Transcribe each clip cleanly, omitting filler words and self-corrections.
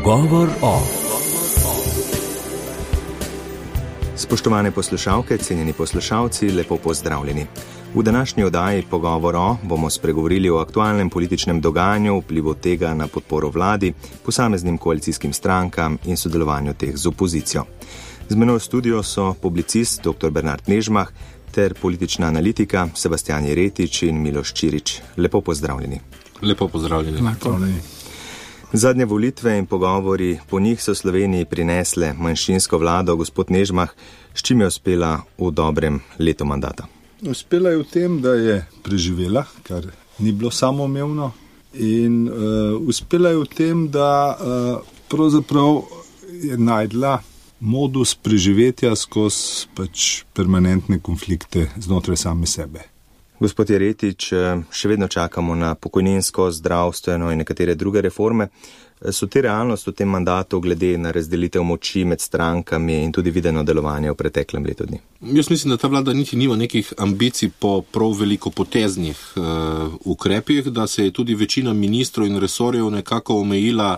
Pogovor o. Spoštovane poslušalke, cenjeni poslušalci, lepo pozdravljeni. V današnji oddaji Pogovor o bomo spregovorili o aktualnem političnem dogajanju, vplivu tega na podporo vladi, posameznim koalicijskim strankam in sodelovanju teh z opozicijo. Z menoj v studiu so publicist dr. Bernard Nežmah ter politična analitika Sebastian Jeretič in Miloš Čirič. Lepo pozdravljeni. Lepo pozdravljeni. Zadnje volitve in pogovori po njih so Sloveniji prinesle manjšinsko vlado. Gospod Nežmah, s čim je uspela v dobrem letu mandata? Uspela je v tem, da je preživela, kar ni bilo samoumevno, in uspela je v tem, da pravzaprav je najdla modus preživetja skozi permanentne konflikte znotraj same sebe. Gospod Jeretič, še vedno čakamo na pokojninsko, zdravstveno in nekatere druge reforme. So te realnost v tem mandatu glede na razdelitev moči med strankami in tudi videno delovanje v preteklem letu dni? Jaz mislim, da ta vlada niti nima nekih ambicij po prav veliko poteznih ukrepih, da se je tudi večina ministrov in resorjev nekako omejila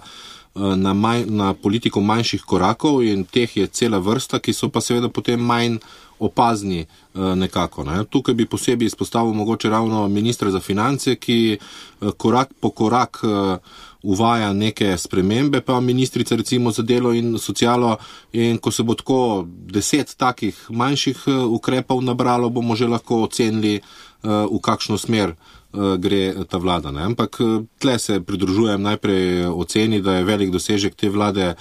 na politiko manjših korakov, in teh je cela vrsta, ki so pa seveda potem manj opazni nekako. Tukaj bi posebej izpostavil mogoče ravno ministra za finance, ki korak po korak uvaja neke spremembe, pa ministrica recimo za delo in socialo, in ko se bo tako 10 takih manjših ukrepov nabralo, bomo že lahko ocenili, v kakšno smer gre ta vlada. Ampak tle se pridružujem najprej oceni, da je velik dosežek te vlade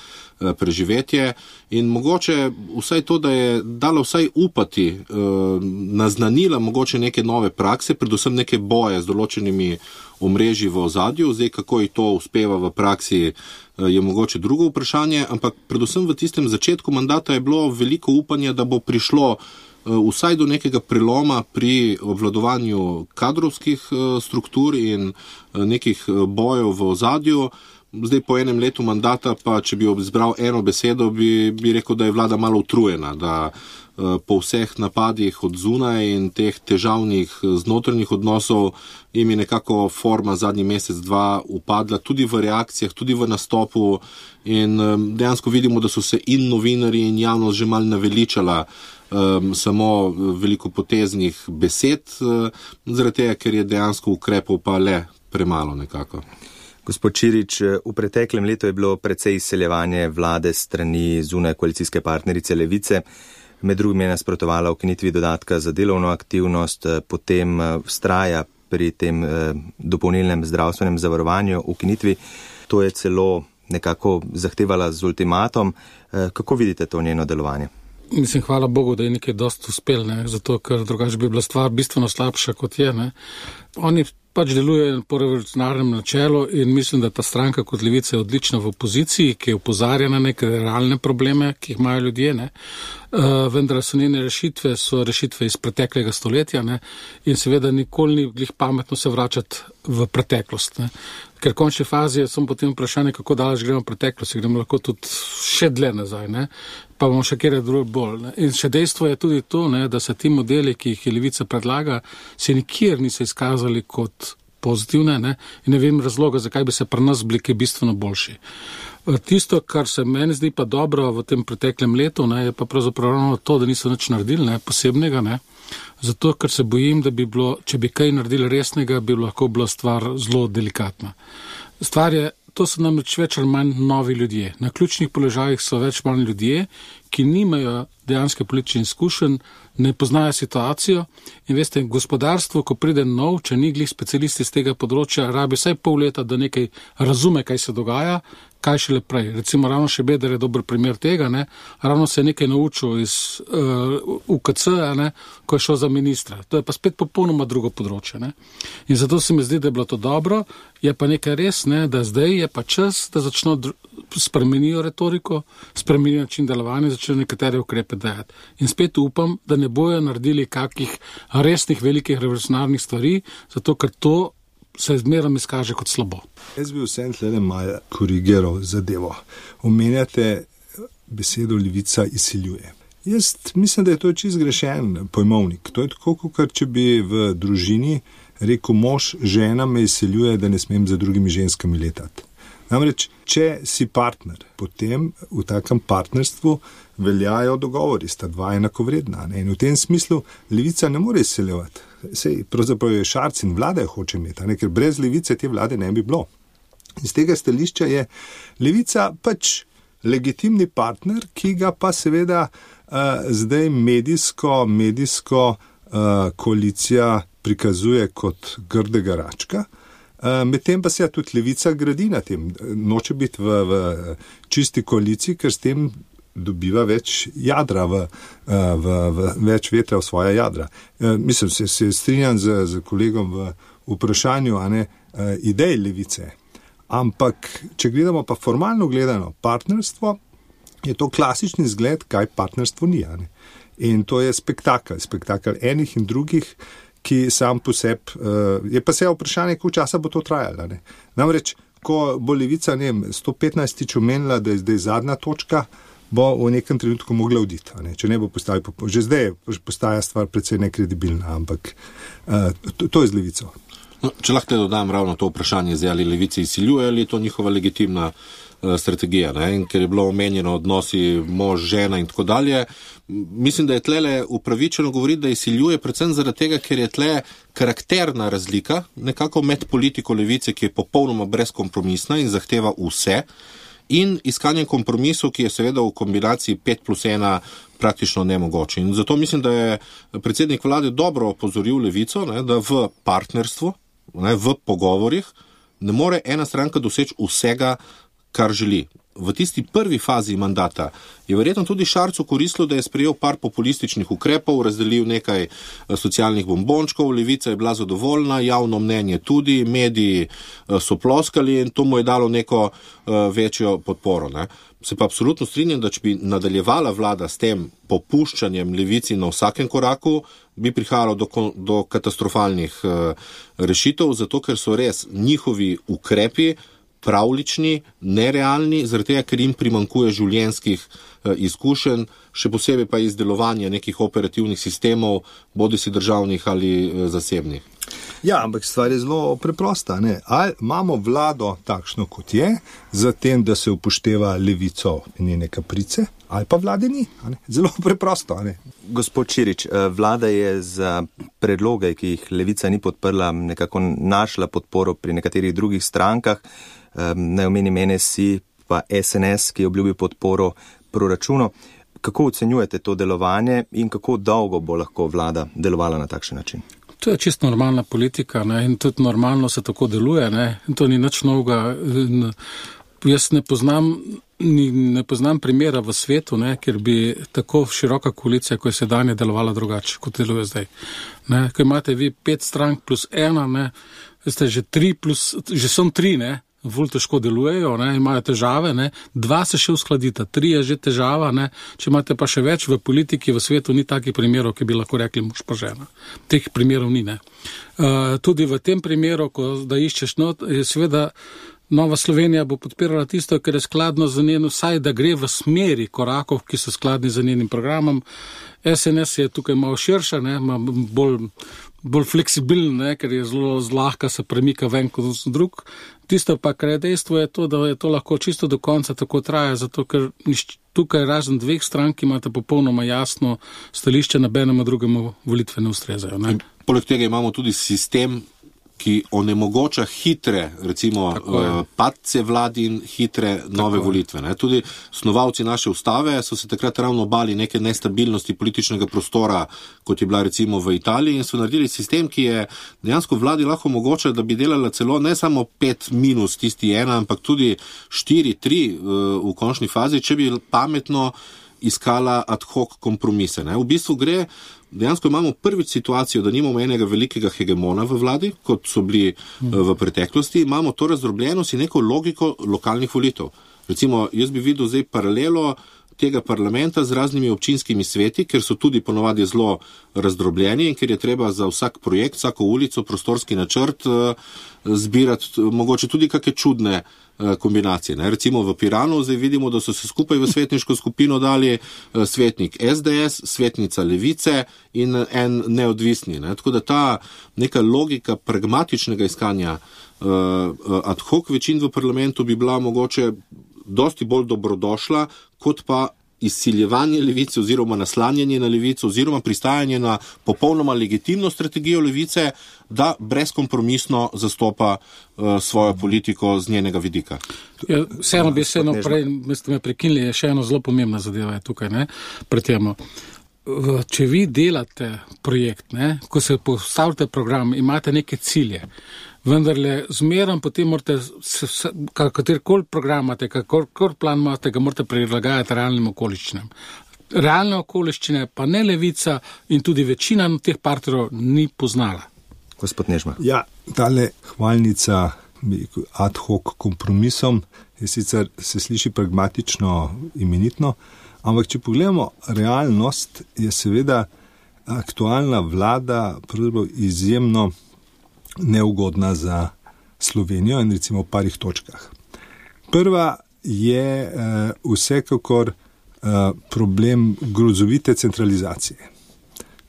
preživetje, in mogoče vsaj to, da je dalo vsaj upati, naznanila mogoče neke nove prakse, predvsem neke boje z določenimi omrežji v ozadju. Zdaj, kako ji to uspeva v praksi, je mogoče drugo vprašanje, ampak predvsem v tistem začetku mandata je bilo veliko upanja, da bo prišlo vsaj do nekega preloma pri obvladovanju kadrovskih struktur in nekih bojev v ozadju. Zdaj po enem letu mandata pa, če bi izbral eno besedo, bi rekel, da je vlada malo utrujena, da po vseh napadih od zunaj in teh težavnih znotrajnih odnosov jim je nekako forma zadnji mesec, dva upadla, tudi v reakcijah, tudi v nastopu, in dejansko vidimo, da so se in novinarji in javnost že malo naveličala samo veliko poteznih besed, zaradi tega, ker je dejansko ukrepov pa le premalo nekako. Gospod Čirič, v preteklem letu je bilo precej izseljevanje vlade strani zunaj koalicijske partnerice Levice. Med drugim je nasprotovala ukinitvi dodatka za delovno aktivnost, potem vztraja pri tem dopolnilnem zdravstvenem zavarovanju ukinitvi. To je celo nekako zahtevala z ultimatom. Kako vidite to njeno delovanje? Mislim, hvala Bogu, da je nekaj dosti uspel, zato ker drugače bi bila stvar bistveno slabša, kot je. Oni pač delujejo po revolucionarnem načelu in mislim, da ta stranka kot Levica je odlična v opoziciji, ki je opozarja na neke realne probleme, ki jih imajo ljudje, vendar so njene rešitve, so rešitve iz preteklega stoletja, in seveda nikoli ni glih pametno se vračati v preteklost, Ker v končni fazi je samo potem vprašanje, kako daleč gremo v preteklost, gremo lahko tudi še dlje nazaj, pa bomo še kjer drugo bolj. In še dejstvo je tudi to, da se ti modeli, ki jih je Levica predlaga, se nikjer niso izkazali kot pozitivne, in ne vem razloga, zakaj bi se pri nas bili kaj bistveno boljši. Tisto, kar se meni zdi pa dobro v tem preteklem letu, je pa pravzaprav ravno to, da niso nič naredili, posebnega, zato, ker se bojim, da bi bilo, če bi kaj naredili resnega, bi lahko bila stvar zelo delikatna. Stvar je, to so namreč več ali manj novi ljudje. Na ključnih položajih so več manj ljudje, ki nimajo dejanske politične izkušenj, ne poznajo situacijo, in veste, gospodarstvo, ko pride nov, če ni glih specialisti z tega področja, rabi vsaj pol leta, da nekaj razume, kaj se dogaja, kaj šele prej. Recimo ravno Šebeder je dober primer tega, ravno se je nekaj naučil iz UKC, ko je šel za ministra. To je pa spet popolnoma drugo področje. In zato se mi zdi, da je bilo to dobro, je pa nekaj res, da zdaj je pa čas, da začno spremenijo retoriko, spremenijo način delovanja, začnejo nekatere ukrepe dajati. In spet upam, da ne bojo naredili kakih resnih velikih revolucionarnih stvari, zato ker to se zmerom izkaže kot slabo. Jaz bi vsem tle malo korigiral zadevo. Omenjate besedo Levica izsiljuje. Jaz mislim, da je to čisto zgrešen pojmovnik. To je tako, kot če bi v družini rekel mož, žena me izsiljuje, da ne smem za drugimi ženskami letati. Namreč, če si partner, potem v takem partnerstvu veljajo dogovori, sta dva enakovredna. Ne? In v tem smislu levica ne more izseljevati. Sej, pravzaprav je Šarec in vlada jo hoče imeti, ne? Ker brez levice te vlade ne bi bilo. Iz tega stališča je levica pač legitimni partner, ki ga pa seveda zdaj medijsko koalicija prikazuje kot grdega račka. Medtem pa se tudi levica gradi na tem. Noče biti v čisti koaliciji, ker s tem dobiva več jadra, več vetra v svoja jadra. Mislim, se strinjam z kolegom v vprašanju, a ne, idej levice. Ampak, če gledamo pa formalno gledano partnerstvo, je to klasični zgled, kaj partnerstvo ni. Ne? In to je spektakel enih in drugih, ki sam po sebi, je pa se vprašanje, koliko časa bo to trajalo. Ne? Namreč, ko bo levica 115 omenila, da je zdaj zadnja točka, bo v nekem trenutku mogla oditi. Če ne bo postavila, že zdaj postaja stvar precej nekredibilna, ampak to je z levico. No, če lahko te dodam ravno to vprašanje, ali levici izsiljuje, ali je to njihova legitimna strategija, ne? In ker je bilo omenjeno odnosi mož, žena in tako dalje, mislim, da je tlele upravičeno govoriti, da izsiljuje predvsem zaradi tega, ker je tle karakterna razlika nekako med politiko levice, ki je popolnoma brezkompromisna in zahteva vse, in iskanjem kompromisov, ki je seveda v kombinaciji 5+1 praktično nemogoče. In zato mislim, da je predsednik vlade dobro opozoril levico, ne, da v partnerstvu, ne, v pogovorih ne more ena stranka doseči vsega, kar želi. V tisti prvi fazi mandata je verjetno tudi Šarcu koristilo, da je sprejel par populističnih ukrepov, razdelil nekaj socialnih bombončkov, levica je bila zadovoljna, javno mnenje tudi, mediji so ploskali in to mu je dalo neko večjo podporo. Ne. Se pa absolutno strinjam, da če bi nadaljevala vlada s tem popuščanjem levici na vsakem koraku, bi prihajalo do katastrofalnih rešitev, zato ker so res njihovi ukrepi pravlični, nerealni, zaradi tega, ker jim primanjkuje življenjskih izkušenj, še posebej pa izdelovanja nekih operativnih sistemov, bodisi državnih ali zasebnih. Ja, ampak stvar je zelo preprosta. Ne? Ali imamo vlado takšno, kot je, zatem, da se upošteva levico in njene kaprice, ali pa vlade ni. Zelo preprosto. Ne? Gospod Čirič, vlada je za predloge, ki jih levica ni podprla, nekako našla podporo pri nekaterih drugih strankah. Naj omenim NSI pa SNS, ki je obljubil podporo proračunu. Kako ocenjujete to delovanje in kako dolgo bo lahko vlada delovala na takšen način? To je čisto normalna politika, ne? In tudi normalno se tako deluje. Ne? In to ni nič novega. Jaz ne poznam primera v svetu, ne? Ker bi tako široka koalicija, ko je sedanje, delovala drugače, kot deluje zdaj. Ne? Ko imate vi 5 strank plus 1, ne? Ste že 3 plus, že so 3, ne? Bolj težko delujejo, ne, imajo težave, ne, 2 se še uskladita, 3 je že težava, ne, če imate pa še več v politiki, v svetu ni takih primerov, ki bi lahko rekli mož pa žena. Teh primerov ni, ne. Tudi v tem primeru, ko da iščeš not, je seveda Nova Slovenija bo podpirala tisto, kar je skladno z njenim, vsaj da gre v smeri korakov, ki so skladni z njenim programom. SNS je tukaj malo širša, ne, bolj fleksibilen, ne, ker je zelo zlahka se premika ven kot drug. Tisto pa, kar je dejstvo, je to, da je to lahko čisto do konca tako traja, zato ker tukaj razen 2 strank imate popolnoma jasno stališče, nobenemu drugemu volitve ne ustrezajo. Ne. Poleg tega imamo tudi sistem, ki onemogoča hitre, recimo, padce vladi in hitre nove volitve. Ne. Tudi snovalci naše ustave so se takrat ravno bali neke nestabilnosti političnega prostora, kot je bila recimo v Italiji, in so naredili sistem, ki je dejansko vladi lahko omogočal, da bi delala celo ne samo 5 minus tisti 1, ampak tudi 4-3 v končni fazi, če bi pametno iskala ad hoc kompromise. Ne. V bistvu dejansko imamo prvič situacijo, da nimamo enega velikega hegemona v vladi, kot so bili v preteklosti, imamo to razdrobljenost in neko logiko lokalnih volitev. Recimo, jaz bi videl zdaj paralelo tega parlamenta z raznimi občinskimi sveti, ker so tudi ponovadi zelo razdrobljeni in ker je treba za vsak projekt, vsako ulico, prostorski načrt zbirati mogoče tudi kakšne čudne kombinacije. Ne? Recimo v Piranu zdaj vidimo, da so se skupaj v svetniško skupino dali svetnik SDS, svetnica Levice in en neodvisni. Ne? Tako da ta neka logika pragmatičnega iskanja ad hoc večin v parlamentu bi bila mogoče dosti bolj dobrodošla, kot pa izsiljevanje levice oziroma naslanjanje na levico oziroma pristajanje na popolnoma legitimno strategijo levice, da brezkompromisno zastopa svojo politiko z njenega vidika. Ja, vseeno bi se prej, ste me prekinili, je še eno zelo pomembna zadeva je tukaj, ne, pri temu. Če vi delate projekt, ne, ko se postavite program, imate neke cilje, vendarle zmerom potem morate, katerikoli program imate, kakorkoli plan imate, ga morate prilagajati realnim okoliščinam. Realne okoliščine pa ne levica in tudi večina teh partnerov ni poznala. Gospod Nežma. Ja, tale hvalnica ad hoc kompromisom je sicer se sliši pragmatično imenitno, ampak če pogledamo realnost, je seveda aktualna vlada izjemno neugodna za Slovenijo in recimo v parih točkah. Prva je vsekakor problem grozovite centralizacije.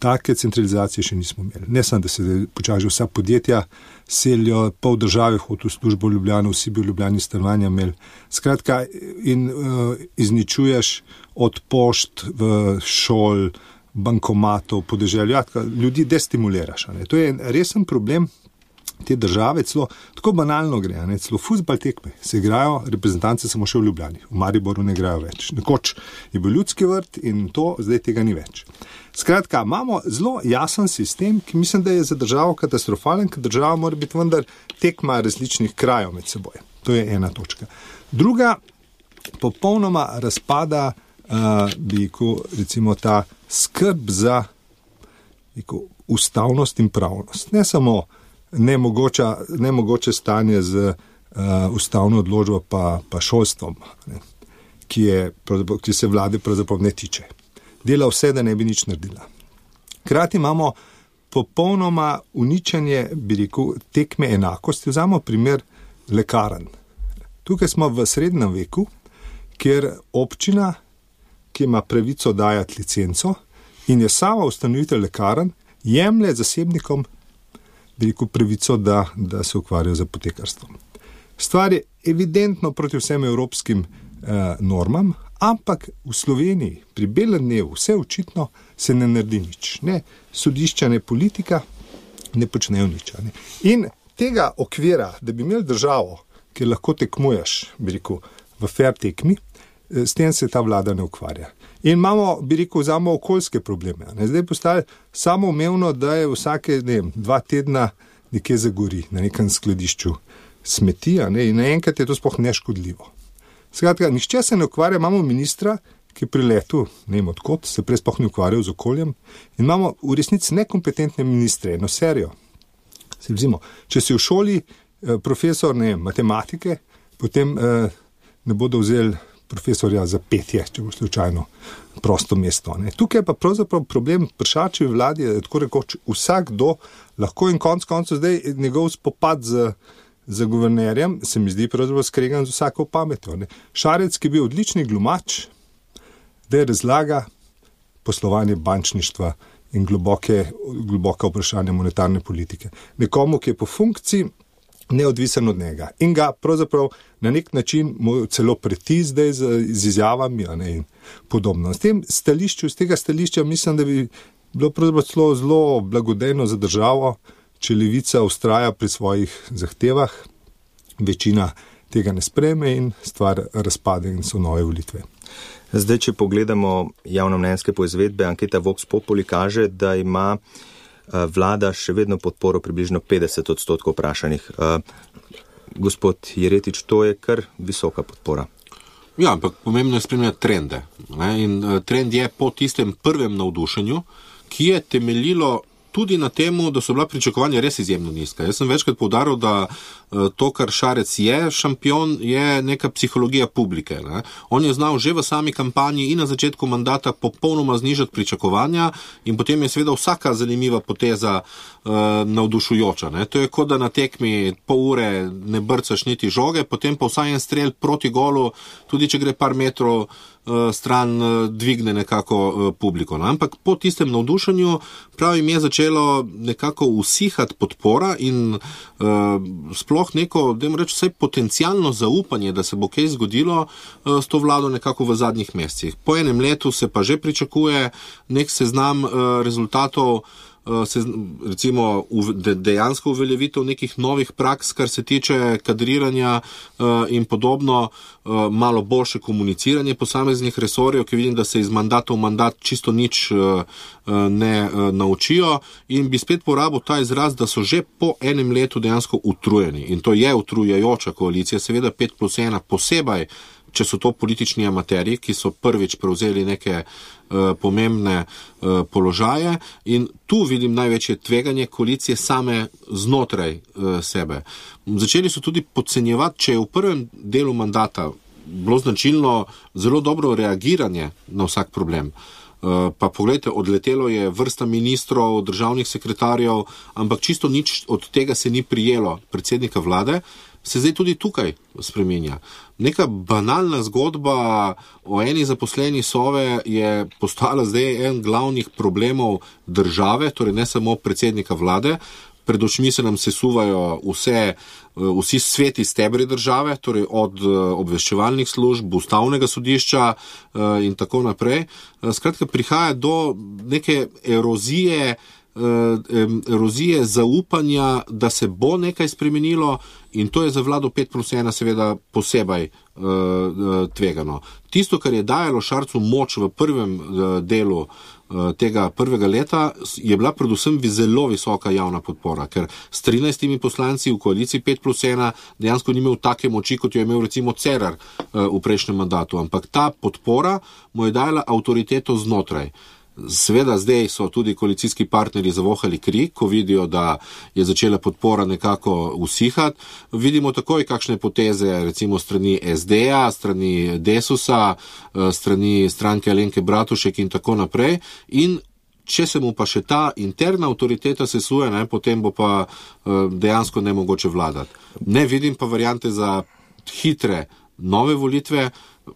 Take centralizacije še nismo imeli. Ne samo, da se počasi vsa podjetja selijo, pol države hodi v službo v Ljubljano, vsi bi v Ljubljani stanovanja imeli. Skratka, in izničuješ od pošt v šol, bankomatov, podeželju. Ja, ljudi destimuliraš. Ne? To je resen problem te države, celo tako banalno gre, ne? Celo fuzbal tekme se igrajo, reprezentance samo še v Ljubljani, v Mariboru ne igrajo več. Nekoč je bil Ljudski vrt in to, zdaj tega ni več. Skratka, imamo zelo jasen sistem, ki mislim, da je za državo katastrofalen, ker država mora biti vendar tekma različnih krajev med seboj. To je ena točka. Druga, popolnoma razpada recimo ta skrb za ustavnost in pravnost. Ne samo nemogoče stanje z ustavno odločbo pa šolstvom, ne, ki se vlade pravzaprav ne tiče. Dela vse, da ne bi nič naredila. Krati imamo popolnoma uničenje, tekme enakosti. Vzamemo primer lekarn. Tukaj smo v srednjem veku, kjer občina, ki ima pravico dajati licenco in je sama ustanovitelj lekarn, jemlje zasebnikom pravico, da se ukvarjajo z apotekarstvom. Stvar je evidentno proti vsem evropskim normam, ampak v Sloveniji pri belem dnevu vse očitno se ne naredi nič. Ne sodišča, ne politika ne počnejo nič. Ne. In tega okvira, da bi imeli državo, kjer lahko tekmuješ, v fair tekmi, s tem se ta vlada ne ukvarja. In imamo, vzamemo okoljske probleme. Ne. Zdaj postali samoumevno, da je vsake 2 tedna nekje zagori na nekem skladišču smeti, ne, in naenkrat je to sploh neškodljivo. Skratka, nihče se ne ukvarja, imamo ministra, ki pri letu, ne vem odkot, se prej sploh ne ukvarjal z okoljem, in imamo v resnici nekompetentne ministre, eno serijo. Če si v šoli profesor matematike, potem ne bodo vzeli profesorja za petje, če bo slučajno prosto mesto. Ne. Tukaj je pa pravzaprav problem Pršačevi vladi, da je tako rekoč vsakdo lahko in konc koncev zdaj njegov spopad z guvernerjem, se mi zdi pravzaprav skregan z vsako pametjo. Ne. Šarec, ki je bil odlični glumač, da je razlaga poslovanje bančništva in globoka vprašanja monetarne politike. Nekomu, ki je po funkciji neodvisen od njega. In ga pravzaprav na nek način mu celo preti zdaj z izjavami in podobno. Z tega stališča mislim, da bi bilo pravzaprav zelo blagodejno za državo, če levica vztraja pri svojih zahtevah, večina tega ne sprejme in stvar razpade in so nove volitve. Zdaj, če pogledamo javnomnenjske poizvedbe, anketa Vox Populi kaže, da ima vlada še vedno podporo približno 50% vprašanih. Gospod Jeretič, to je kar visoka podpora. Ja, ampak pomembno je spremljati trende. Ne? In trend je po tistem prvem navdušenju, ki je temeljilo tudi na temu, da so bila pričakovanja res izjemno nizka. Jaz sem večkrat poudaril, da to, kar Šarec je šampion, je neka psihologija publike. Ne. On je znal že v sami kampanji in na začetku mandata popolnoma znižati pričakovanja in potem je seveda vsaka zanimiva poteza navdušujoča. Ne. To je kot da na tekmi pol ure ne brcaš niti žoge, potem pa vsaj en strel proti golu, tudi če gre par metrov stran, dvigne nekako publiko. No. Ampak po tistem navdušenju pravim je začelo nekako usihati podpora in sploh neko, da jim reči, vsaj potencialno zaupanje, da se bo kaj zgodilo s to vlado nekako v zadnjih mesecih. Po enem letu se pa že pričakuje nek seznam rezultatov, recimo dejansko uveljavitev nekih novih praks, kar se tiče kadriranja in podobno, malo boljše komuniciranje posameznih resorjev, ki vidim, da se iz mandata v mandat čisto nič ne naučijo in bi spet porabil ta izraz, da so že po enem letu dejansko utrujeni. In to je utrujajoča koalicija, seveda 5+1 posebej, če so to politični amaterji, ki so prvič prevzeli neke pomembne položaje in tu vidim največje tveganje koalicije same znotraj sebe. Začeli so tudi podcenjevati, če je v prvem delu mandata bilo značilno zelo dobro reagiranje na vsak problem. Pa pogledajte, odletelo je vrsta ministrov, državnih sekretarjev, ampak čisto nič od tega se ni prijelo predsednika vlade, se zdaj tudi tukaj spreminja. Neka banalna zgodba o eni zaposleni Sove je postala zdaj en glavnih problemov države, torej ne samo predsednika vlade. Pred očmi se nam sesuvajo vsi sveti stebri države, torej od obveščevalnih služb, ustavnega sodišča in tako naprej. Skratka, prihaja do neke erozije zaupanja, da se bo nekaj spremenilo in to je za vlado 5+1 seveda posebej tvegano. Tisto, kar je dajalo Šarcu moč v prvem delu tega prvega leta, je bila predvsem zelo visoka javna podpora, ker s 13 poslanci v koaliciji 5+1 dejansko ni imel take moči, kot jo je imel recimo Cerar v prejšnjem mandatu, ampak ta podpora mu je dajala avtoriteto znotraj. Seveda zdaj so tudi koalicijski partnerji zavohali kri, ko vidijo, da je začela podpora nekako usihati. Vidimo takoj kakšne poteze, recimo strani SD-ja, strani Desusa, strani stranke Alenke Bratušek in tako naprej. In če se mu pa še ta interna avtoriteta sesuje, potem bo pa dejansko nemogoče vladati. Ne vidim pa variante za hitre nove volitve,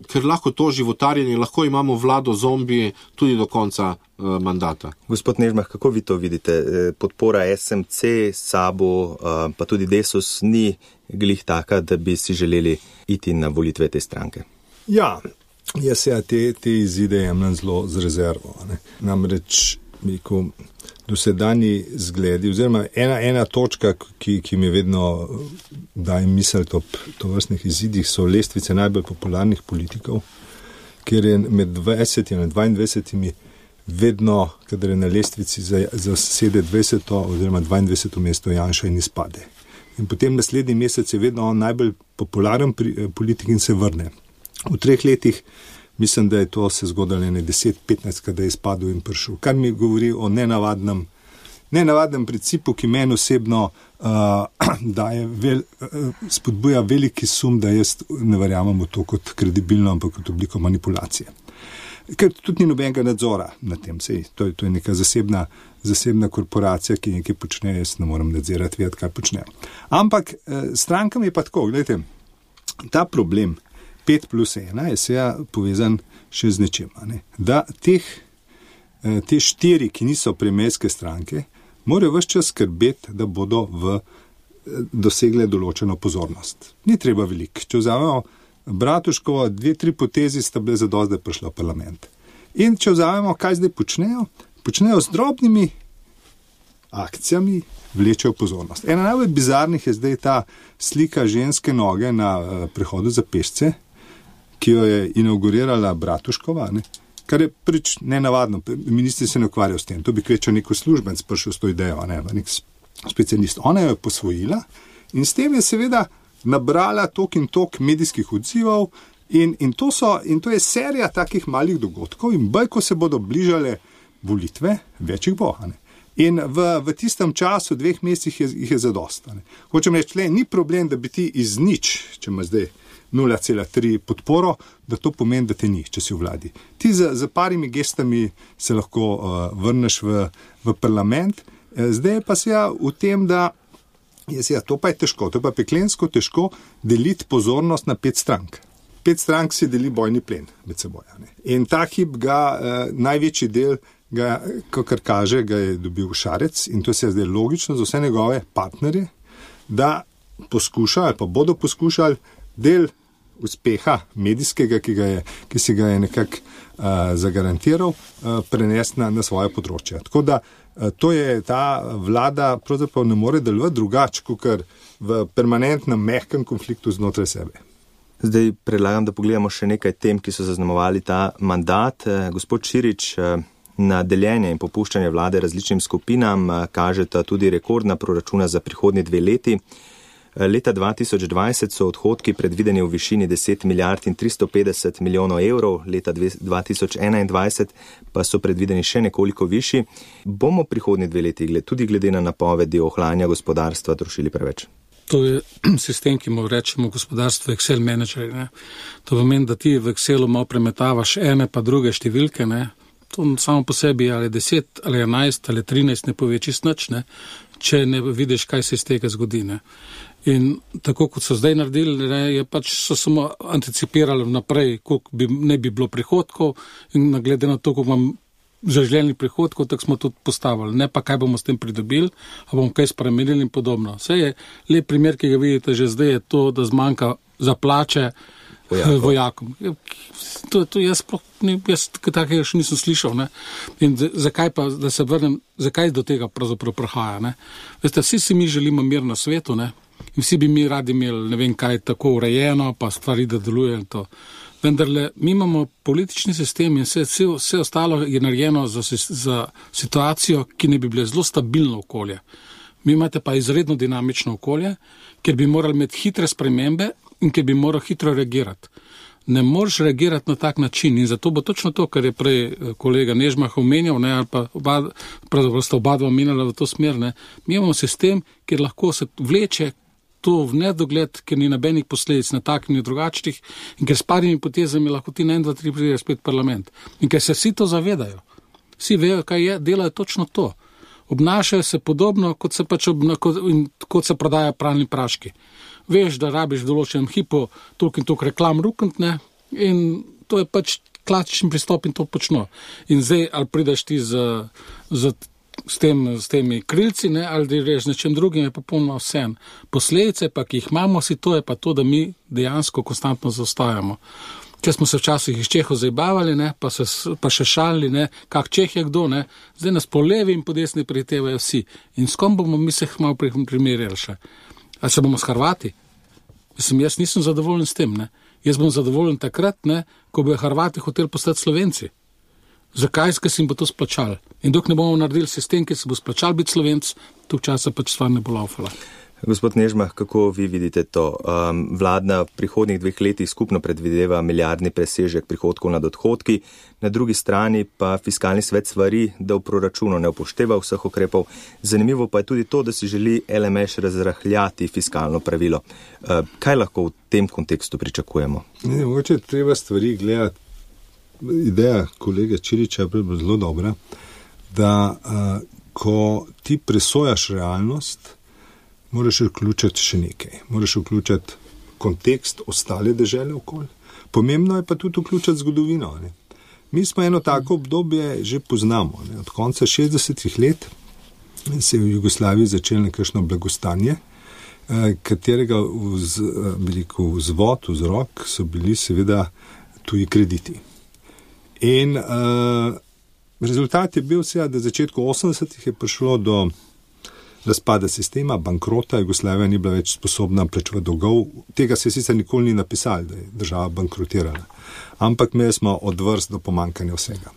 ker lahko to životarjenje, lahko imamo vlado zombi tudi do konca mandata. Gospod Nežmah, kako vi to vidite? Podpora SMC, SABO, pa tudi Desus ni glih taka, da bi si želeli iti na volitve te stranke. Ja, jaz te izide jemljem zelo z rezervo. Ne? Namreč, dosedanji zgledi, oziroma ena točka, ki mi vedno daje misliti ob tovrstnih izidih, so lestvice najbolj popularnih politikov, kjer je med 20 in 22 vedno, kadar je na lestvici zasede 20. oziroma 22. mesto Janša in izpade. In potem naslednji mesec je vedno on najbolj popularen politik in se vrne. V 3 letih mislim, da je to se zgodilo 10-15, kada je izpadel in prišel. Kar mi govori o nenavadnem principu, ki meni osebno spodbuja veliki sum, da jaz ne verjamem v to kot kredibilno, ampak kot obliko manipulacije. Ker tudi ni nobenega nadzora na tem. To je neka zasebna korporacija, ki nekaj počne, jaz ne moram nadzirati, vedeti, kaj počne. Ampak strankam je pa tako, gledajte, ta problem 5+1 je seveda povezan še z nečem. Da te 4, ki niso premierske stranke, morajo ves čas skrbeti, da bodo dosegle določeno pozornost. Ni treba veliko. Če vzamemo Bratuškovo, 2-3 potezi sta bile zadosti, da je prišla v parlament. In če vzamemo, kaj zdaj počnejo z drobnimi akcijami, vlečejo pozornost. Ena najbolj bizarnih je zdaj ta slika ženske noge na prehodu za pešce, ki jo je inaugurirala Bratuškova, kar je prvič nenavadno. Ministri se ne ukvarjajo s tem. To bi kvečal neko službenc prišel s to idejo, nek specialist. Ona jo je posvojila in s tem je seveda nabrala tok in tok medijskih odzivov in to je serija takih malih dogodkov in bolj, ko se bodo bližale volitve, več jih bo. In v tistem času, 2 mesecih, jih je zadosta. Hočem reči, ni problem, da bi ti iz nič, če ima zdaj 0,3 podporo, da to pomeni, da te ni, če si v vladi. Ti za parimi gestami se lahko vrneš v parlament. Zdaj pa se v tem, da to pa je težko, to pa je peklensko težko deliti pozornost na 5 strank. 5 strank si deli bojni plen med seboj. In ta hip največji del, kakor kaže, ga je dobil Šarec in to se je zdaj logično za vse njegove partnerje, da poskušajo ali pa bodo poskušali del uspeha medijskega, ki si ga je nekako zagarantiral, prenesti na svoje področje. Tako da to je ta vlada pravzaprav ne more delovati drugače, kot v permanentnem mehkem konfliktu znotraj sebe. Zdaj predlagam, da pogledamo še nekaj tem, ki so zaznamovali ta mandat. Gospod Čirič, na deljenje in popuščanje vlade različnim skupinam kažeta tudi rekordna proračuna za prihodnji 2 leti. Leta 2020 so odhodki predvideni v višini 10 milijard in 350 milijonov evrov, leta 2021 pa so predvideni še nekoliko višji. Bomo prihodnji 2 leti tudi glede na napovedi ohlajanja gospodarstva trošili preveč? To je sistem, ki mu rečemo gospodarstvo Excel menedžerji. To pomeni, da ti v Excelu malo premetavaš ene pa druge številke. To samo po sebi ali 10 ali 11 ali 13 ne pove čisto nič, če ne vidiš, kaj se iz tega zgodi. In tako kot so zdaj naredili, so samo anticipirali naprej, koliko ne bi bilo prihodkov in glede na to, koliko imam zaželenih prihodkov, tako smo tudi postavili. Ne pa, kaj bomo s tem pridobili, a bomo kaj spremenili in podobno. Vse je lep primer, ki ga vidite že zdaj, je to, da zmanjka za plače vojakom. To jaz takega še nisem slišal. In zakaj pa, da se vrnem, zakaj do tega pravzaprav prihaja? Veste, vsi si mi želimo mir na svetu, in vsi bi mi radi imeli, ne vem kaj, tako urejeno, pa stvari, da deluje in to. Vendarle, mi imamo politični sistem in vse ostalo je narejeno za situacijo, ki ne bi bile zelo stabilno okolje. Mi imate pa izredno dinamično okolje, ker bi morali imeti hitre spremembe in ker bi moral hitro reagirati. Ne moreš reagirati na tak način in zato bo točno to, kar je prej kolega Nežmah omenjal, ali pa pravzaprav sta oba omenjala v to smer. Mi imamo sistem, kjer lahko se vleče to v nedogled, ker ni nobenih posledic na tak in drugačnih in ker s parimi potezami lahko ti na 1, 2, 3 prideš spet parlament. In ker se vsi to zavedajo. Vsi vejo, kaj je, delajo točno to. Obnašajo se podobno, kot se prodaja pralni praški. Veš, da rabiš v določenem hipu toliko in toliko reklam ruknitne in to je pač klasičen pristop in to počno. In zdaj, ali prideš ti s temi krilci, ali da reš nečem drugim, je popolnoma vse. Posledice pa, ki jih imamo, to je pa to, da mi dejansko konstantno zaostajamo. Če smo se včasih iz Čehov zabavali, pa še šalili, kak Čeh je kdo, zdaj nas po levi in po desni prihitevajo vsi. In s kom bomo mi se malo primerjali še? A se bomo s Hrvati? Jaz nisem zadovoljen s tem. Jaz bom zadovoljen takrat, ko bojo Hrvati hoteli postati Slovenci. Zakaj? Ker se jim bo to splačalo. In dok ne bomo naredili sistem, ki se bo splačal biti Slovenc, tok časa pač stvar ne bo laufala. Gospod Nežmah, kako vi vidite to? Vlada v prihodnjih 2 letih skupno predvideva milijardni presežek prihodkov nad odhodki, na drugi strani pa fiskalni svet svari, da v proračunu ne upošteva vseh ukrepov. Zanimivo pa je tudi to, da si želi LMŠ razrahljati fiskalno pravilo. Kaj lahko v tem kontekstu pričakujemo? Mogoče treba stvari gledati. Ideja kolega Čiriča je zelo dobra, da ko ti presojaš realnost, moraš vključiti še nekaj. Moraš vključiti kontekst ostale dežele okoli. Pomembno je pa tudi vključiti zgodovino. Mi smo eno tako obdobje že poznamo. Od konca 60-ih let se je v Jugoslaviji začelo nekakšno blagostanje, katerega vzrok so bili seveda tuji krediti. In rezultat je bil seveda, da v začetku 80-ih je prišlo do razpada sistema, bankrota, Jugoslavija ni bila več sposobna plačevati dolgov. Tega se sicer nikoli ni napisali, da je država bankrotirala. Ampak imeli smo od vrst do pomankanja vsega.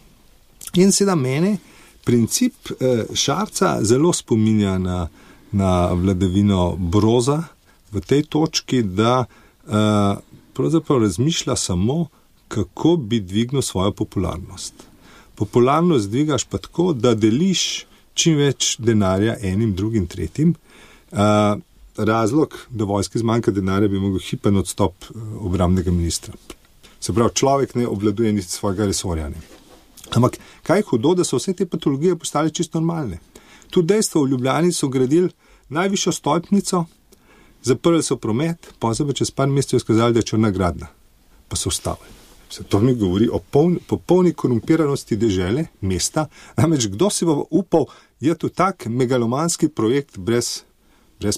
In seveda mene princip Šarca zelo spominja na vladavino Broza v tej točki, da pravzaprav razmišlja samo, kako bi dvignil svojo popularnost. Popularnost dvigaš pa tako, da deliš čim več denarja enim, drugim, tretjim. Razlog, da vojski zmanjka denarja, bi mogel hipen odstop obrambnega ministra. Se pravi, človek ne obvladuje niti svojega resorja. Ne. Ampak kaj je hudo, da so vse te patologije postale čisto normalne. Tudi dejstvo, v Ljubljani so gradili najvišjo stolpnico, zaprli so promet, pozabo čez par mesecev skazali, da je črna gradna. Pa so ustavili. To mi govori o popolni korumpiranosti dežele, mesta. Namreč kdo si bo upal, je to tak megalomanski projekt brez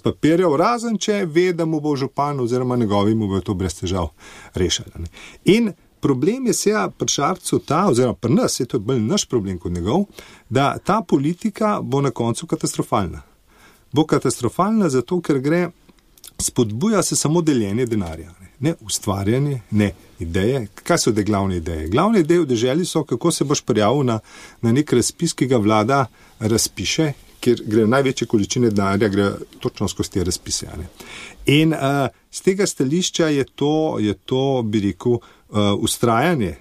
papirjev, razen če ve, da mu bo župan oziroma njegovi mu bo to brez težav rešali. In problem je seveda pri Šarcu ta, oziroma pri nas, je to bolj naš problem kot njegov, da ta politika bo na koncu katastrofalna. Bo katastrofalna zato, ker spodbuja se samo deljenje denarja. Ne ustvarjanje, ne ideje. Kaj so te glavne ideje? Glavne ideje v deželi so, kako se boš prijavil na nek razpis, ki ga vlada razpiše, kjer gre največje količine denarja, gre točno skozi te razpise. In z tega stališča je to, bi rekel, ustrajanje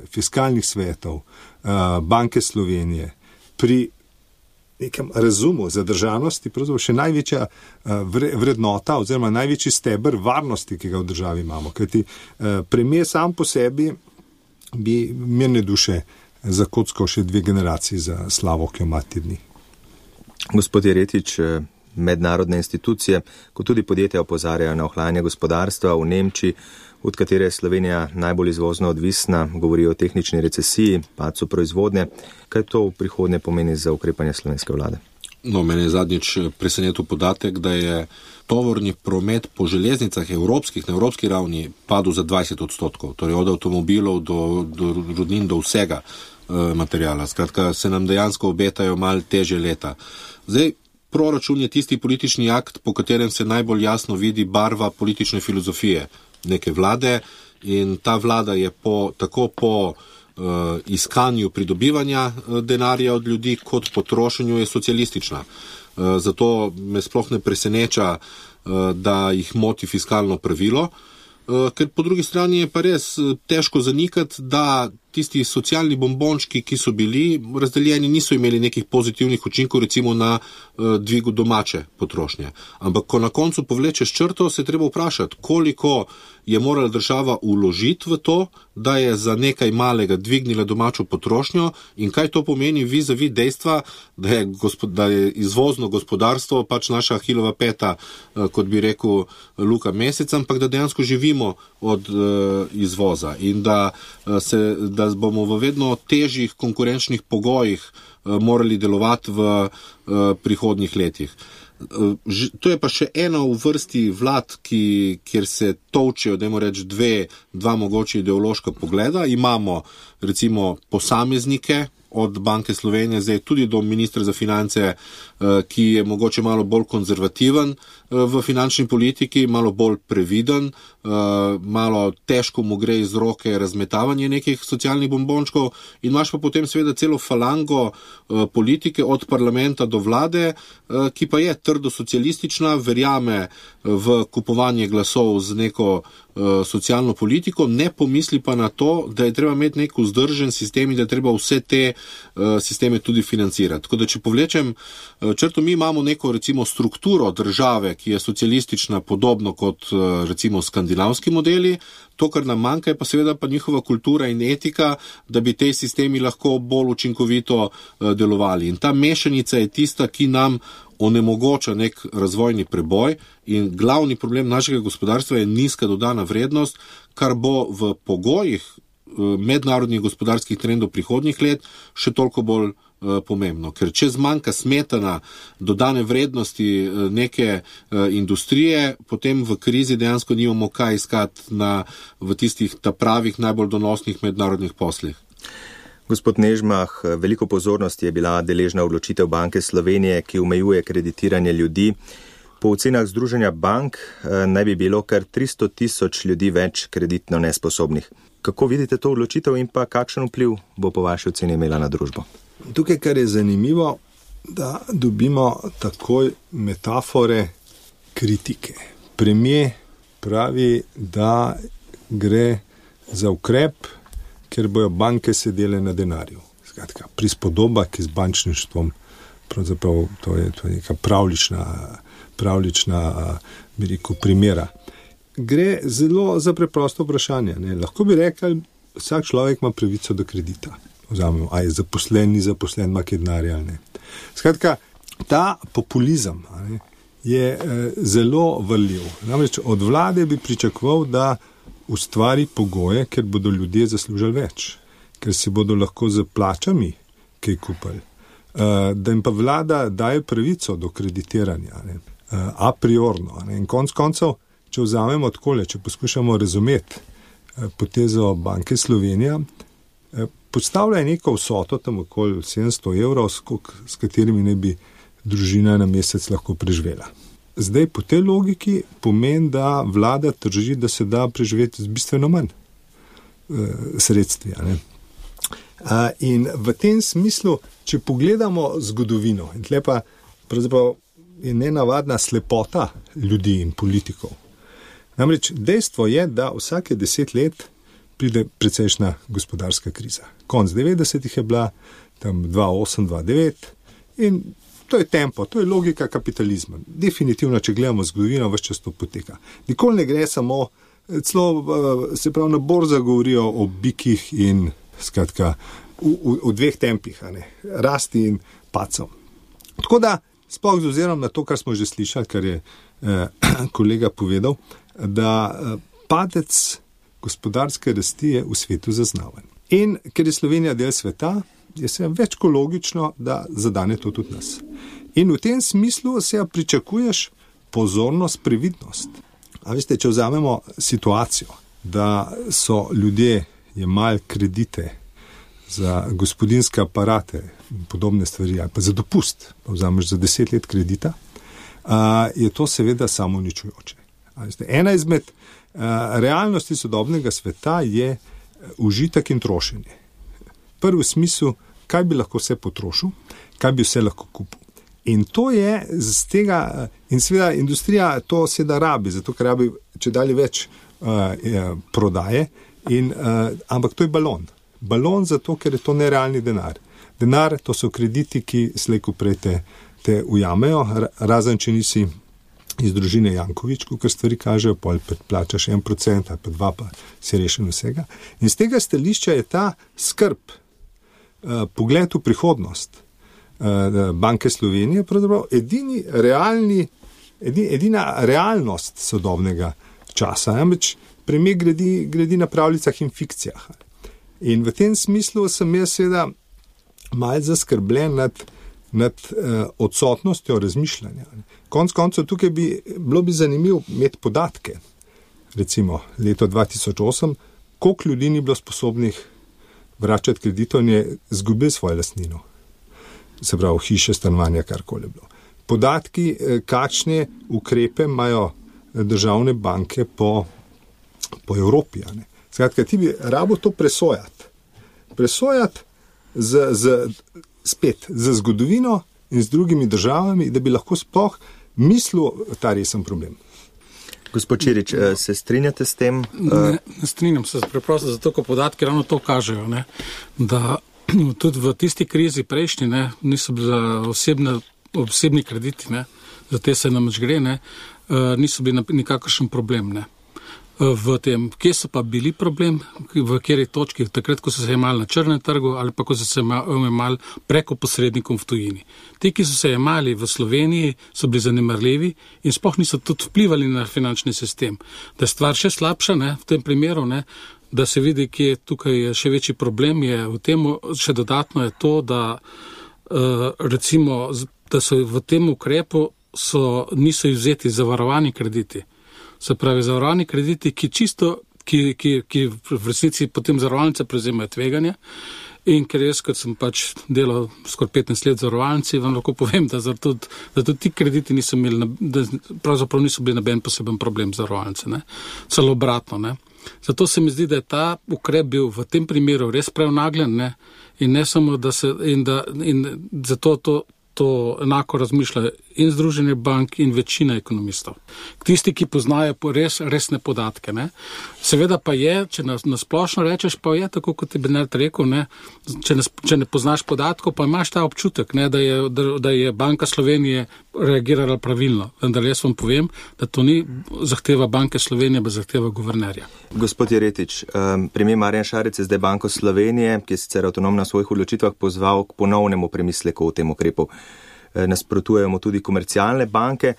fiskalnih svetov, Banke Slovenije pri nekem razumu zadržanosti, pravzaprav še največja vrednota oziroma največji steber varnosti, ki ga v državi imamo. Kajti premier sam po sebi bi mirne duše zakockal še 2 generaciji za slavo, ki jo ima te dni. Gospod Jeretič, mednarodne institucije, kot tudi podjetja opozarjajo na ohlajanje gospodarstva v Nemčiji, od katere je Slovenija najbolj izvozno odvisna, govori o tehnični recesiji, padcu proizvodnje. Kaj to v prihodnje pomeni za ukrepanje slovenske vlade? No, mene je zadnjič presenetil podatek, da je tovorni promet po železnicah na evropski ravni padel za 20%, torej od avtomobilov do rudnin, do vsega materijala. Skratka, se nam dejansko obetajo malo težje leta. Zdaj, proračun je tisti politični akt, po katerem se najbolj jasno vidi barva politične filozofije neke vlade, in ta vlada je tako po iskanju pridobivanja denarja od ljudi, kot po trošenju je socialistična. Zato me sploh ne preseneča, da jih moti fiskalno pravilo, ker po drugi strani je pa res težko zanikati, da tisti socialni bombončki, ki so bili razdeljeni, niso imeli nekih pozitivnih učinkov, recimo na dvigu domače potrošnje. Ampak ko na koncu povlečeš črto, se treba vprašati, koliko je morala država vložiti v to, da je za nekaj malega dvignila domačo potrošnjo, in kaj to pomeni vis-a-vis dejstva, da je izvozno gospodarstvo pač naša Achillova peta, kot bi rekel Luka Mesec, ampak da dejansko živimo od izvoza in da bomo v vedno težjih konkurenčnih pogojih morali delovati v prihodnjih letih. To je pa še ena v vrsti vlad, kjer se tolčejo, dajmo reči, dva mogoče ideološka pogleda. Imamo recimo posameznike od Banke Slovenije, zdaj tudi do ministra za finance, ki je mogoče malo bolj konzervativen v finančni politiki, malo bolj previden, malo težko mu gre iz roke razmetavanje nekih socialnih bombončkov, in imaš pa potem seveda celo falango politike od parlamenta do vlade, ki pa je trdo socialistična, verjame v kupovanje glasov z neko socialno politiko, ne pomisli pa na to, da je treba imeti nek vzdržen sistem in da je treba vse te sisteme tudi financirati. Tako da, če povlečem črto, mi imamo neko recimo strukturo države, ki je socialistična, podobno kot recimo skandinavski modeli. To, kar nam manjka, je pa seveda pa njihova kultura in etika, da bi te sistemi lahko bolj učinkovito delovali. In ta mešanica je tista, ki nam onemogoča nek razvojni preboj, in glavni problem našega gospodarstva je nizka dodana vrednost, kar bo v pogojih mednarodnih gospodarskih trendov prihodnjih let še toliko bolj pomembno. Ker če zmanjka smetana dodane vrednosti neke industrije, potem v krizi dejansko nimamo kaj iskati v tistih pravih najbolj donosnih mednarodnih poslih. Gospod Nežmah, veliko pozornosti je bila deležna odločitev Banke Slovenije, ki omejuje kreditiranje ljudi. Po ocenah Združenja bank naj bi bilo kar 300,000 ljudi več kreditno nesposobnih. Kako vidite to odločitev in pa kakšen vpliv bo po vaši oceni imela na družbo? Tukaj, kar je zanimivo, da dobimo takoj metafore kritike. Premier pravi, da gre za ukrep, ker bojo banke sedele na denarju. Skratka, prispodoba, ki z bančništvom pravzaprav to je neka pravlična bi rekel, primera. Gre zelo za preprosto vprašanje. Ne. Lahko bi rekli, vsak človek ima pravico do kredita. Vzamemo, a je zaposlen, ni zaposlen, ima kaj denarja ali ne. Skratka, ta populizem je zelo vrljiv. Namreč od vlade bi pričakoval, da ustvari pogoje, ker bodo ljudje zaslužili več, ker si bodo lahko z plačami kaj kupili, da jim pa vlada daje pravico do kreditiranja, a priorno. In konec koncev, če vzamemo takole, če poskušamo razumeti potezo Banke Slovenija, postavlja neko vsoto, tam okoli 700 evrov, s katerimi ne bi družina na mesec lahko preživela. Zdaj, po tej logiki pomeni, da vlada trži, da se da preživeti z bistveno manj sredstvi. In v tem smislu, če pogledamo zgodovino, in tle pa pravzaprav je nenavadna slepota ljudi in politikov. Namreč dejstvo je, da vsake 10 let pride precejšnja gospodarska kriza. Konc 90-ih je bila, tam 2008, 2009 in to je tempo, to je logika kapitalizma. Definitivno, če gledamo zgodovino, ves čas to poteka. Nikoli ne gre samo, celo se pravi na borzah govorijo o bikih in skratka v dveh tempih, rasti in pacom. Tako da, sploh z ozirom na to, kar smo že slišali, kar je kolega povedal, da padec gospodarske rasti je v svetu zaznaven. In ker je Slovenija del sveta, je se več kot logično, da zadane to tudi nas. In v tem smislu se pričakuješ pozornost, previdnost. A veste, če vzamemo situacijo, da so ljudje jemali kredite za gospodinske aparate in podobne stvari, ali pa za dopust, pa vzameš za 10 let kredita, je to seveda samouničujoče. Ena izmed realnosti sodobnega sveta je užitek in trošenje. Prvi smisel, kaj bi lahko vse potrošil, kaj bi vse lahko kupil. In to je z tega, in seveda industrija to seveda rabi, zato ker rabi če dalje več prodaje, ampak to je balon. Balon zato, ker je to nerealni denar. Denar, to so krediti, ki slejko prej te ujamejo, razen če nisi iz družine Jankovič, ker stvari kažejo, pol plačaš 1% ali pa 2%, pa si rešen vsega. In z tega stališča je ta skrb, pogled v prihodnost Banke Slovenije pravzaprav edina realnost sodobnega časa. Namreč premier gradi na pravljicah in fikcijah. In v tem smislu sem jaz seveda malo zaskrbljen nad odsotnostjo razmišljanja. Konec koncev tukaj bilo bi zanimivo imeti podatke. Recimo leto 2008, koliko ljudi ni bilo sposobnih vračati kreditov in je izgubil svojo lastnino. Se pravi, hiše, stanovanja, karkoli bilo. Podatki, kakšne ukrepe imajo državne banke po Evropi. Skratka, ti bi rabo to presojati. Presojati spet z zgodovino in z drugimi državami, da bi lahko sploh mislil ta resen problem. Gospod Čirič, se strinjate s tem? Ne strinjam se preprosto, zato ko podatki ravno to kažejo, da tudi v tisti krizi prejšnji niso bili osebni krediti, za te se namreč gre, niso bili nikakršen problem. V tem, kje so pa bili problem, v kateri točki, takrat, ko so se jemali na črnem trgu ali pa ko so se jemali preko posrednikom v tujini. Ti, ki so se jemali v Sloveniji, so bili zanemarljivi in sploh niso tudi vplivali na finančni sistem. Da je stvar še slabša, v tem primeru, da se vidi, kje tukaj je še večji problem, je v tem, še dodatno je to, da recimo, da so v tem ukrepu niso izvzeti zavarovani krediti. Se pravi, zavarovani krediti, ki v resnici potem zavarovalnice prevzemajo tveganja in ker jaz, kot sem pač delal skoraj 15 let zavarovalnici, vam lahko povem, da tudi ti krediti niso imeli, pravzaprav niso bili noben poseben problem zavarovalnice, celo obratno, Zato se mi zdi, da je ta ukrep bil v tem primeru res prenagljen, in ne samo, in zato to enako razmišlja in Združenje bank in večina ekonomistov. Tisti, ki poznajo resne podatke. Ne. Seveda pa je, če na splošno rečeš, pa je tako, kot je Bernard rekel, ne, če ne poznaš podatkov, pa imaš ta občutek, ne, da je Banka Slovenije reagirala pravilno. Vendar jaz vam povem, da to ni zahteva Banke Slovenije, pa zahteva guvernerja. Gospod Jeretič, premier Marjan Šarec je zdaj Banko Slovenije, ki je sicer avtonomna v svojih odločitvah, pozval k ponovnemu premisleku o tem ukrepu. Nasprotujemo tudi komercialne banke.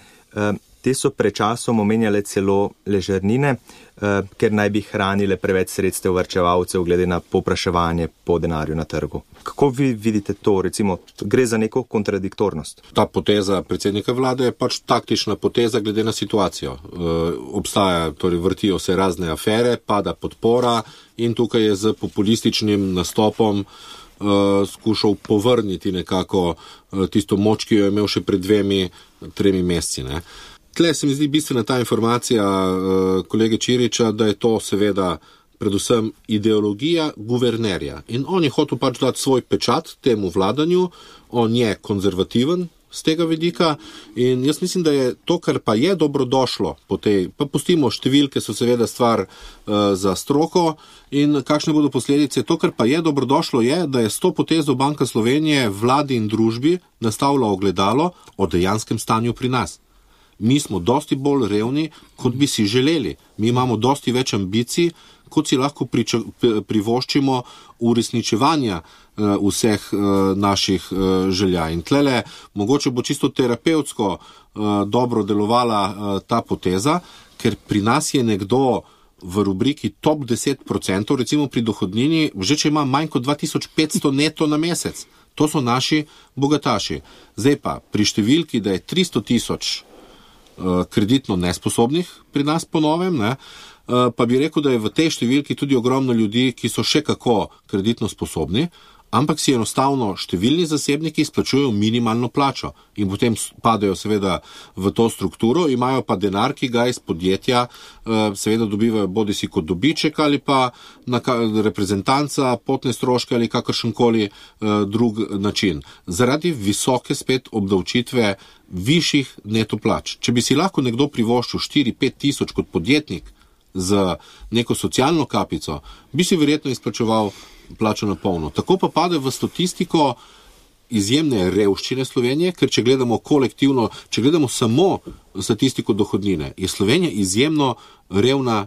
Te so pred časom omenjale celo ležernine, ker naj bi hranile preveč sredstev varčevalcev glede na povpraševanje po denarju na trgu. Kako vi vidite to? Recimo, gre za neko kontradiktornost? Ta poteza predsednika vlade je pač taktična poteza glede na situacijo. Obstaja, torej vrtijo se razne afere, pada podpora in tukaj je z populističnim nastopom skušal povrniti nekako tisto moč, ki jo je imel še pred 2-3 meseci. Ne. Tle se mi zdi bistvena ta informacija kolege Čiriča, da je to seveda predvsem ideologija guvernerja. In on je hotel pač dati svoj pečat temu vladanju, on je konzervativen z tega vidika in jaz mislim, da je to, kar pa je dobrodošlo po tej, pa pustimo številke, so seveda stvar za stroko in kakšne bodo posledice. To, kar pa je dobrodošlo, je, da je s to potezo Banka Slovenije vladi in družbi nastavila ogledalo o dejanskem stanju pri nas. Mi smo dosti bolj revni, kot bi si želeli. Mi imamo dosti več ambicij, kot si lahko privoščimo uresničevanja vseh naših želja. In tlele mogoče bo čisto terapevtsko dobro delovala ta poteza, ker pri nas je nekdo v rubriki top 10%, recimo pri dohodnini, že če ima manj kot 2500 neto na mesec. To so naši bogataši. Zdaj pa pri številki, da je 300 000 kreditno nesposobnih pri nas po novem, ne, pa bi rekel, da je v tej številki tudi ogromno ljudi, ki so še kako kreditno sposobni, ampak si enostavno številni zasebniki izplačujejo minimalno plačo in potem padajo seveda v to strukturo, imajo pa denar, ki ga iz podjetja seveda dobivajo bodisi kot dobiček ali pa na reprezentanca, potne stroške ali kakršenkoli drug način. Zaradi visoke spet obdavčitve višjih neto plač. Če bi si lahko nekdo privoščil 4-5 tisoč kot podjetnik z neko socialno kapico, bi si verjetno izplačeval plačo na polno. Tako pa pade v statistiko izjemne revščine Slovenije, ker če gledamo kolektivno, če gledamo samo statistiko dohodnine, je Slovenija izjemno revna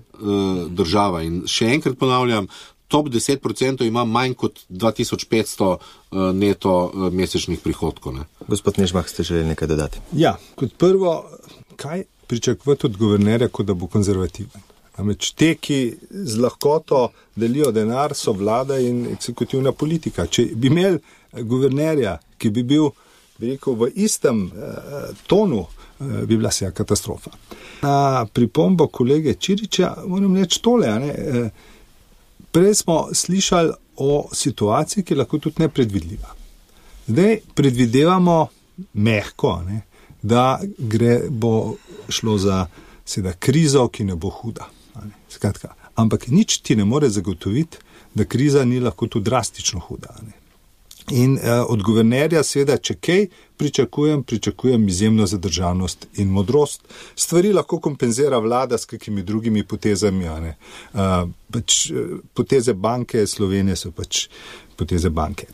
država. In še enkrat ponavljam, top 10% ima manj kot 2500 neto mesečnih prihodkov. Ne. Gospod Nežmah, ste želeli nekaj dodati? Ja, kot prvo, kaj pričakovati od guvernerja, kot da bo konzervativen? Namreč te, ki z lahkoto delijo denar, so vlada in eksekutivna politika. Če bi imeli guvernerja, ki bi bil, bi rekel, v istem tonu, bi bila vsa katastrofa. Na pripombo kolege Čiriča moram reči tole. Prej smo slišali o situaciji, ki je lahko tudi nepredvidljiva. Zdaj predvidevamo mehko, da bo šlo za seveda krizo, ki ne bo huda. Skratka, ampak nič ti ne more zagotoviti, da kriza ni lahko tudi drastično huda. In od guvernerja seveda, če kaj pričakujem izjemno zadržanost in modrost. Stvari lahko kompenzira vlada s kakimi drugimi potezami. Poteze Banke Slovenije so pač poteze banke.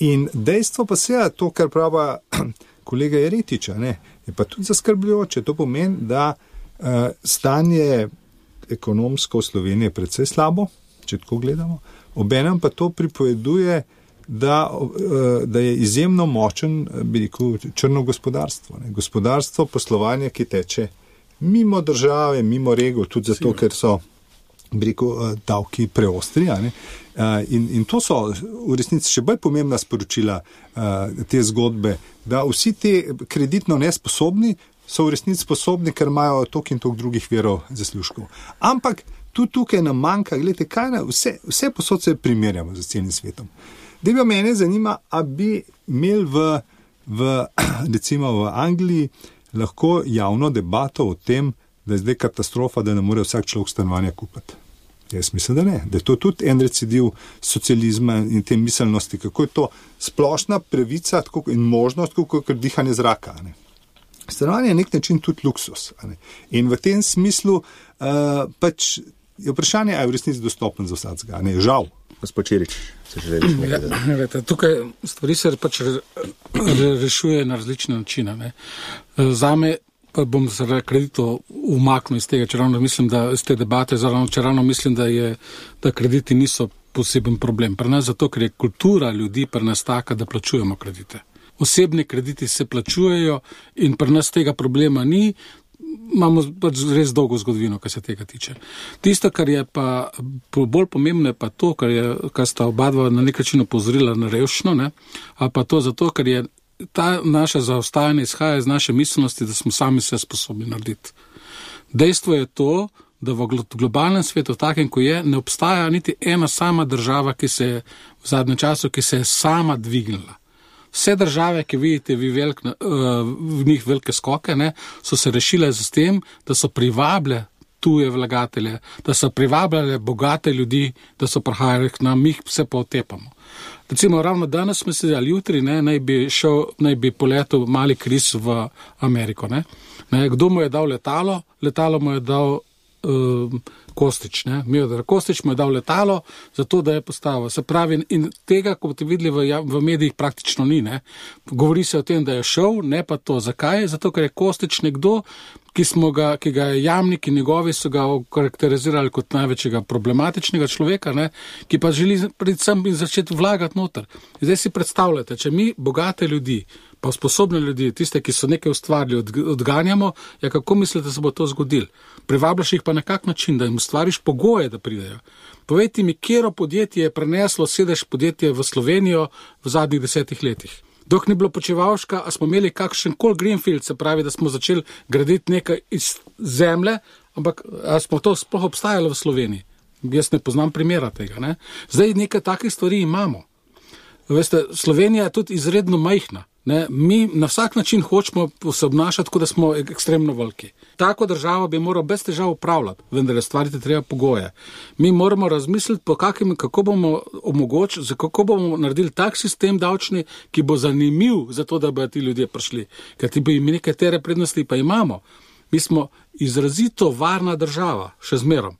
In dejstvo pa seveda to, kar prava kolega Jeretiča, je pa tudi zaskrbljujoče. To pomeni, da stanje ekonomsko v Sloveniji je precej slabo, če tako gledamo. Obenem pa to pripoveduje, da je izjemno močen, bi rekel, črno gospodarstvo. Gospodarstvo, poslovanje, ki teče mimo države, mimo regov, tudi zato, ker so, bi rekel, davki preostri. In to so v resnici še bolj pomembna sporočila te zgodbe, da vsi ti kreditno nesposobni so v resnici sposobni, ker imajo toliko in toliko drugih virov zaslužkov. Ampak tudi tukaj nam manjka, gledajte, kaj vse posod se primerjamo z celim svetom. Da mene zanima, a bi imeli recimo v Angliji lahko javno debato o tem, da je zdaj katastrofa, da ne more vsak človek stanovanja kupiti. Jaz mislim, da ne. Da je to tudi en recidiv socializma in te miselnosti, kako je to splošna pravica in možnost, kot dihanje zraka. Ne. Stanovanje je nek način tudi luksus. In v tem smislu pač je vprašanje, ali je v resnici dostopen za vsakega. Žal. Gospod Čirič, se želiš nekaj dodati? Tukaj stvari se pač rešuje na različne načine. Zame pa bom zaradi kreditov umaknil iz tega, čeravno mislim, da iz te debate, čeravno mislim, da krediti niso poseben problem. Pri nas zato, ker je kultura ljudi pri nas taka, da plačujemo kredite. Osebni krediti se plačujejo in pri nas tega problema ni. Imamo pač res dolgo zgodovino, kar se tega tiče. Tisto, kar je pa bolj pomembno, je pa to, kar sta obadva na nek način opozorila na revščino, ali pa to zato, ker je ta naša zaostajanje izhaja iz naše miselnosti, da smo sami vse sposobni narediti. Dejstvo je to, da v globalnem svetu, takem, ko je, ne obstaja niti ena sama država, ki se je v zadnjem času, ki se je sama dvignila. Vse države, ki vidite v njih velike skoke, so se rešile z tem, da so privabile tuje vlagatelje, da so privabljale bogate ljudi, da so prihajali k nam, mi jih vse potepamo. Recimo, ravno danes smo se ali jutri, naj bi poletel mali Kris v Ameriko. Kdo mu je dal letalo? Letalo mu je dal Kostič. Kostič mu je dal letalo, zato da je postavil. Se pravi, in tega, kot boste videli v medijih, praktično ni. Govori se o tem, da je šel, ne pa to. Zakaj? Zato, ker je Kostič nekdo, ki ga je Jamnik in njegovi so ga karakterizirali kot največjega problematičnega človeka, ki pa želi predvsem začeti vlagati noter. Zdaj si predstavljate, če mi bogate ljudi, pa sposobne ljudi, tiste, ki so nekaj ustvarili, odganjamo, kako mislite, da se bo to zgodilo? Privabljaš jih pa na kak način, da jim ustvariš pogoje, da pridejo. Povejte mi, katero podjetje je preneslo sedež podjetje v Slovenijo v zadnjih 10 letih. Dok ni bilo Počivalška, a smo imeli kakšen kol greenfield, se pravi, da smo začeli graditi nekaj iz zemlje, ampak a smo to sploh obstajalo v Sloveniji? Jaz ne poznam primera tega. Zdaj nekaj takih stvari imamo. Veste, Slovenija je tudi izredno majhna. Mi na vsak način hočemo se obnašati, kot da smo ekstremno veliki. Tako državo bi moral brez težav upravljati, vendar je stvariti treba pogoje. Mi moramo razmisliti, kako bomo naredili tak sistem davčni, ki bo zanimiv za to, da bi ti ljudje prišli. Ker ti bi mi nekatere prednosti pa imamo. Mi smo izrazito varna država, še zmerom.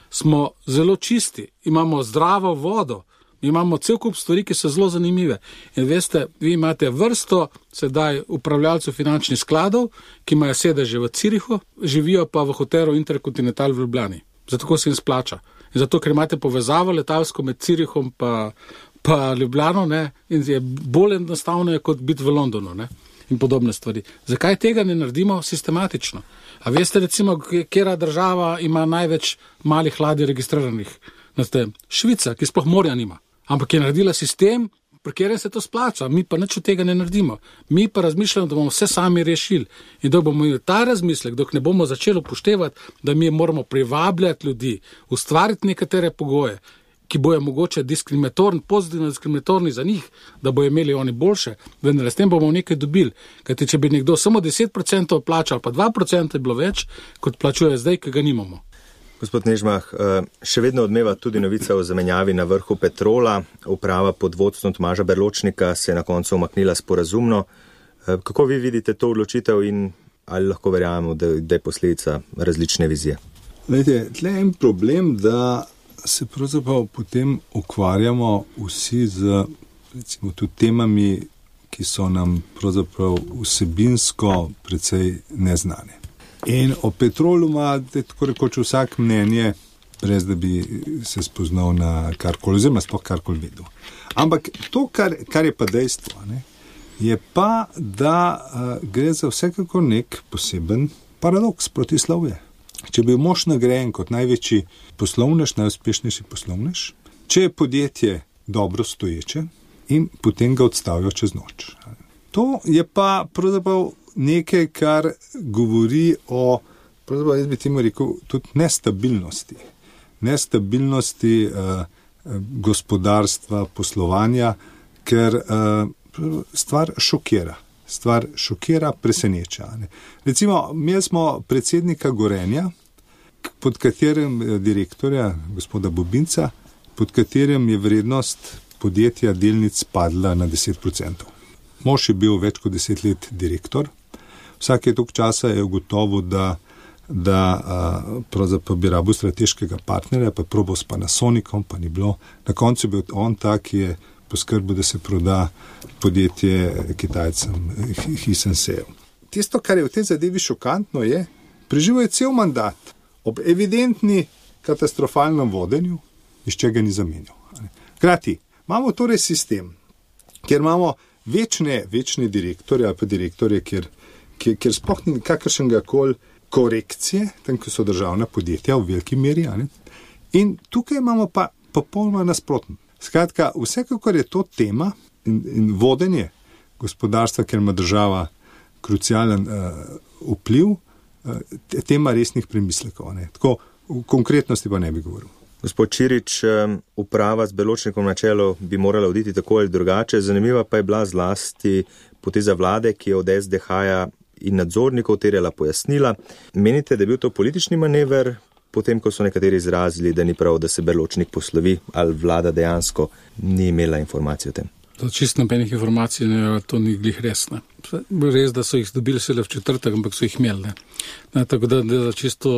Smo zelo čisti, imamo zdravo vodo. Imamo cel kup stvari, ki so zelo zanimive. In veste, vi imate vrsto sedaj upravljalcev finančnih skladov, ki imajo sedeže v Cirihu, živijo pa v hotelu Intercontinental v Ljubljani. Zato se jim splača. In zato, ker imate povezavo letalsko med Cirihom pa Ljubljano, in je bolj enostavno kot biti v Londonu, in podobne stvari. Zakaj tega ne naredimo sistematično? A veste, recimo, katera država ima največ malih ladij registriranih? Švica, ki sploh morja nima. Ampak je naredila sistem, pri katerem se to splača. Mi pa nič od tega ne naredimo. Mi pa razmišljamo, da bomo vse sami rešili. In da bomo imeli ta razmislek, dok ne bomo začeli upoštevati, da mi moramo privabljati ljudi, ustvariti nekatere pogoje, ki bojo mogoče pozitivno diskriminatorni za njih, da bojo imeli oni boljše, vendar s tem bomo nekaj dobili. Kajti, če bi nekdo samo 10% plačal, pa 2% je bilo več, kot plačuje zdaj, ki ga nimamo. Gospod Nežmah, še vedno odmeva tudi novica o zamenjavi na vrhu Petrola. Uprava pod vodstvom Tomaža Berločnika se je na koncu umaknila sporazumno. Kako vi vidite to odločitev in ali lahko verjamemo, da je posledica različne vizije? Glejte, tle je en problem, da se pravzaprav potem ukvarjamo vsi z recimo tudi temami, ki so nam pravzaprav vsebinsko precej neznane. In o Petrolu ima tako rekoč vsak mnenje, brez da bi se spoznal na karkoli, oziroma sploh karkoli vedel. Ampak to, kar je pa dejstvo, je pa, da gre za vsekako nek poseben paradoks protislovje. Če bi mož nagrajen kot največji poslovnež, najuspešnejši poslovnež, če je podjetje dobro stoječe in potem ga odstavijo čez noč. To je pa pravzaprav nekaj, kar govori o, pravzaprav jaz bi temu rekel, tudi nestabilnosti. Nestabilnosti gospodarstva, poslovanja, ker stvar šokira, preseneča. Recimo, imeli smo predsednika Gorenja, pod katerim direktorja, gospoda Bobinca, pod katerim je vrednost podjetja delnic padla na 10%. Mož je bil več kot 10 let direktor. Vsake toliko časa je ugotovil, da pravzaprav bi rabil strateškega partnerja, pa probal s Panasonicom, pa ni bilo. Na koncu je bil on ta, ki je poskrbel, da se proda podjetje Kitajcem Hisenseju. Tisto, kar je v tej zadevi šokantno, je, preživel je cel mandat ob evidentni katastrofalnem vodenju, iz čega ni zamenjal. Hkrati, imamo torej sistem, kjer imamo večne direktorje ali pa direktorje, kjer sploh ni kakršnega koli korekcije, tam, ko so državna podjetja v veliki meri. In tukaj imamo pa popolnoma nasprotno. Skratka, vsekakor je to tema in vodenje gospodarstva, ker ima država krucialen vpliv, tema resnih premislekov. Tako v konkretnosti pa ne bi govoril. Gospod Čirič, uprava z Beločnikom na čelu bi morala oditi tako ali drugače. Zanimiva pa je bila zlasti poteza vlade, ki je od SDH-ja in nadzornikov terjala pojasnila. Menite, da je bil to politični manever, potem ko so nekateri izrazili, da ni prav, da se Beločnik poslovi, ali vlada dejansko ni imela informacij o tem? To čisto nobenih informacij, to ni glih res. Res, da so jih dobili šele v četrtek, ampak so jih imeli. Tako da čisto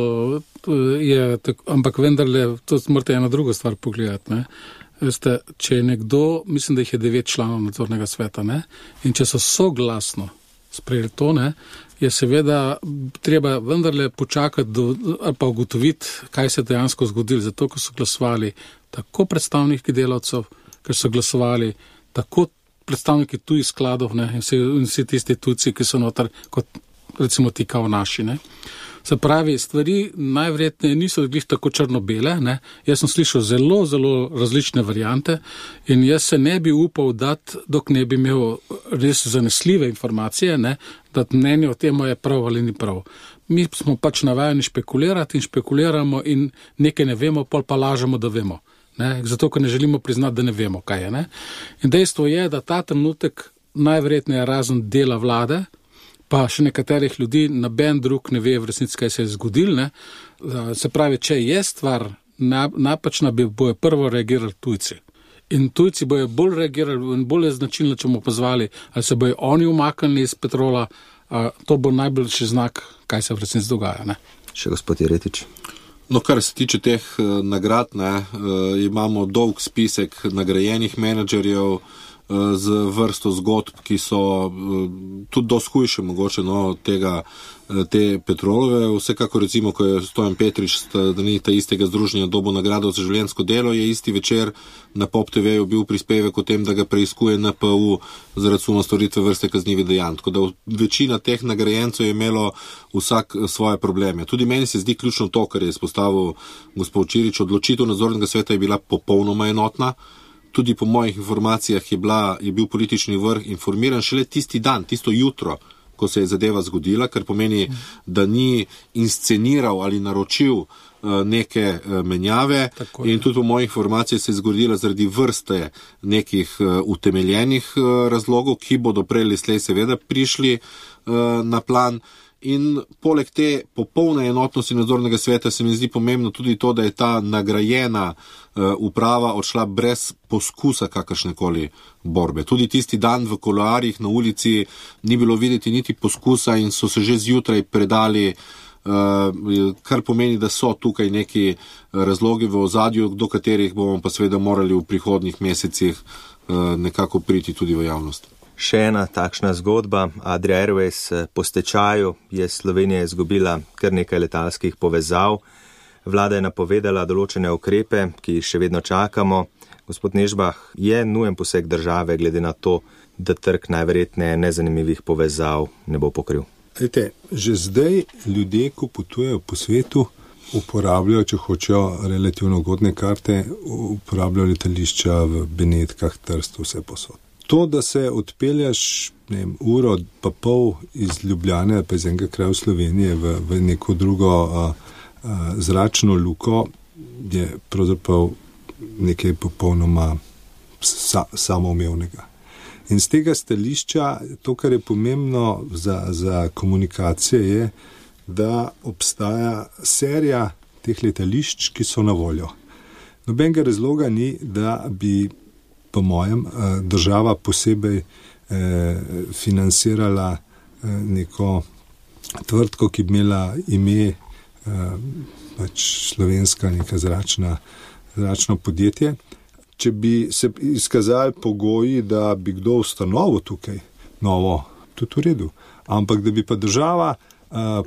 je, ampak vendarle, to morate eno drugo stvar pogledati. Veste, če je nekdo, mislim, da jih je 9 članov nadzornega sveta, in če so soglasno sprejeli to, je seveda treba vendarle počakati ali pa ugotoviti, kaj se dejansko zgodilo. Zato, ko so glasovali tako predstavniki delavcev, ker so glasovali tako predstavniki tujih skladov in vsi ti instituciji, ki so notar, kot recimo ti kao naši. Se pravi, stvari najverjetneje niso glih tako črno-bele. Jaz sem slišal zelo, zelo različne variante in jaz se ne bi upal dati, dok ne bi imel res zanesljive informacije, da mnenje o tem je prav ali ni prav. Mi smo pač navajeni špekulirati in špekuliramo in nekaj ne vemo, pol pa lažemo, da vemo. Zato, ker ne želimo priznati, da ne vemo, kaj je. In dejstvo je, da ta trenutek najverjetneje razen dela vlade, pa še nekaterih ljudi, noben drug ne ve v resnici, kaj se je zgodilo. Se pravi, če je stvar napačna, bojo prvo reagirali tujci. In tujci bojo bolj reagirali in bolj značilno, če bomo pozvali, ali se bojo oni umaknili iz Petrola, to bo najboljši znak, kaj se v resnici dogaja. Še gospod Jeretič. No, kar se tiče teh nagrad, imamo dolg spisek nagrajenih menedžerjev z vrsto zgodb, ki so tudi dosti hujše mogoče te Petrolove. Vsekako recimo, ko je Stojan Petrič, da ni ta istega združenja dobil nagrado za življenjsko delo, je isti večer na Pop TV-ju bil prispevek o tem, da ga preiskuje NPU zaradi suma storitve vrste kaznivih dejanj. Tako da večina teh nagrajencev je imelo vsak svoje probleme. Tudi meni se zdi ključno to, kar je izpostavil gospod Čirič. Odločitev nadzornega sveta je bila popolnoma enotna. Tudi po mojih informacijah je bil politični vrh informiran šele tisti dan, tisto jutro, ko se je zadeva zgodila, kar pomeni, da ni insceniral ali naročil neke menjave. In tudi po mojih informacijah se je zgodila zaradi vrste nekih utemeljenih razlogov, ki bodo prej ali slej seveda prišli na plan. In poleg te popolne enotnosti nadzornega sveta se mi zdi pomembno tudi to, da je ta nagrajena uprava odšla brez poskusa kakršnekoli borbe. Tudi tisti dan v kuloarjih na ulici ni bilo videti niti poskusa in so se že zjutraj predali, kar pomeni, da so tukaj neki razlogi v ozadju, do katerih bomo pa seveda morali v prihodnjih mesecih nekako priti tudi v javnost. Še ena takšna zgodba. Adria Airways po stečaju je Slovenija izgubila kar nekaj letalskih povezav. Vlada je napovedala določene ukrepe, ki jih še vedno čakamo. Gospod Nežbah, je nujen poseg države glede na to, da trg najverjetneje nezanimivih povezav ne bo pokril? Že zdaj ljudje, ko potujejo po svetu, uporabljajo, če hočejo relativno ugodne karte, uporabljajo letališča v Benetkah, Trstu, vse posod. To, da se odpeljaš uro pa pol iz Ljubljane pa iz enega kraja v Slovenije v neko drugo zračno luko, je pravzaprav nekaj popolnoma samoumevnega. In z tega stališča, to, kar je pomembno za komunikacije, je, da obstaja serija teh letališč, ki so na voljo. Nobenega razloga ni, da bi, po mojem, država posebej financirala neko tvrtko, ki bi imela ime pač slovenska neka zračno podjetje. Če bi se izkazali pogoji, da bi kdo ustanovil tukaj novo, tudi v redu, ampak da bi pa država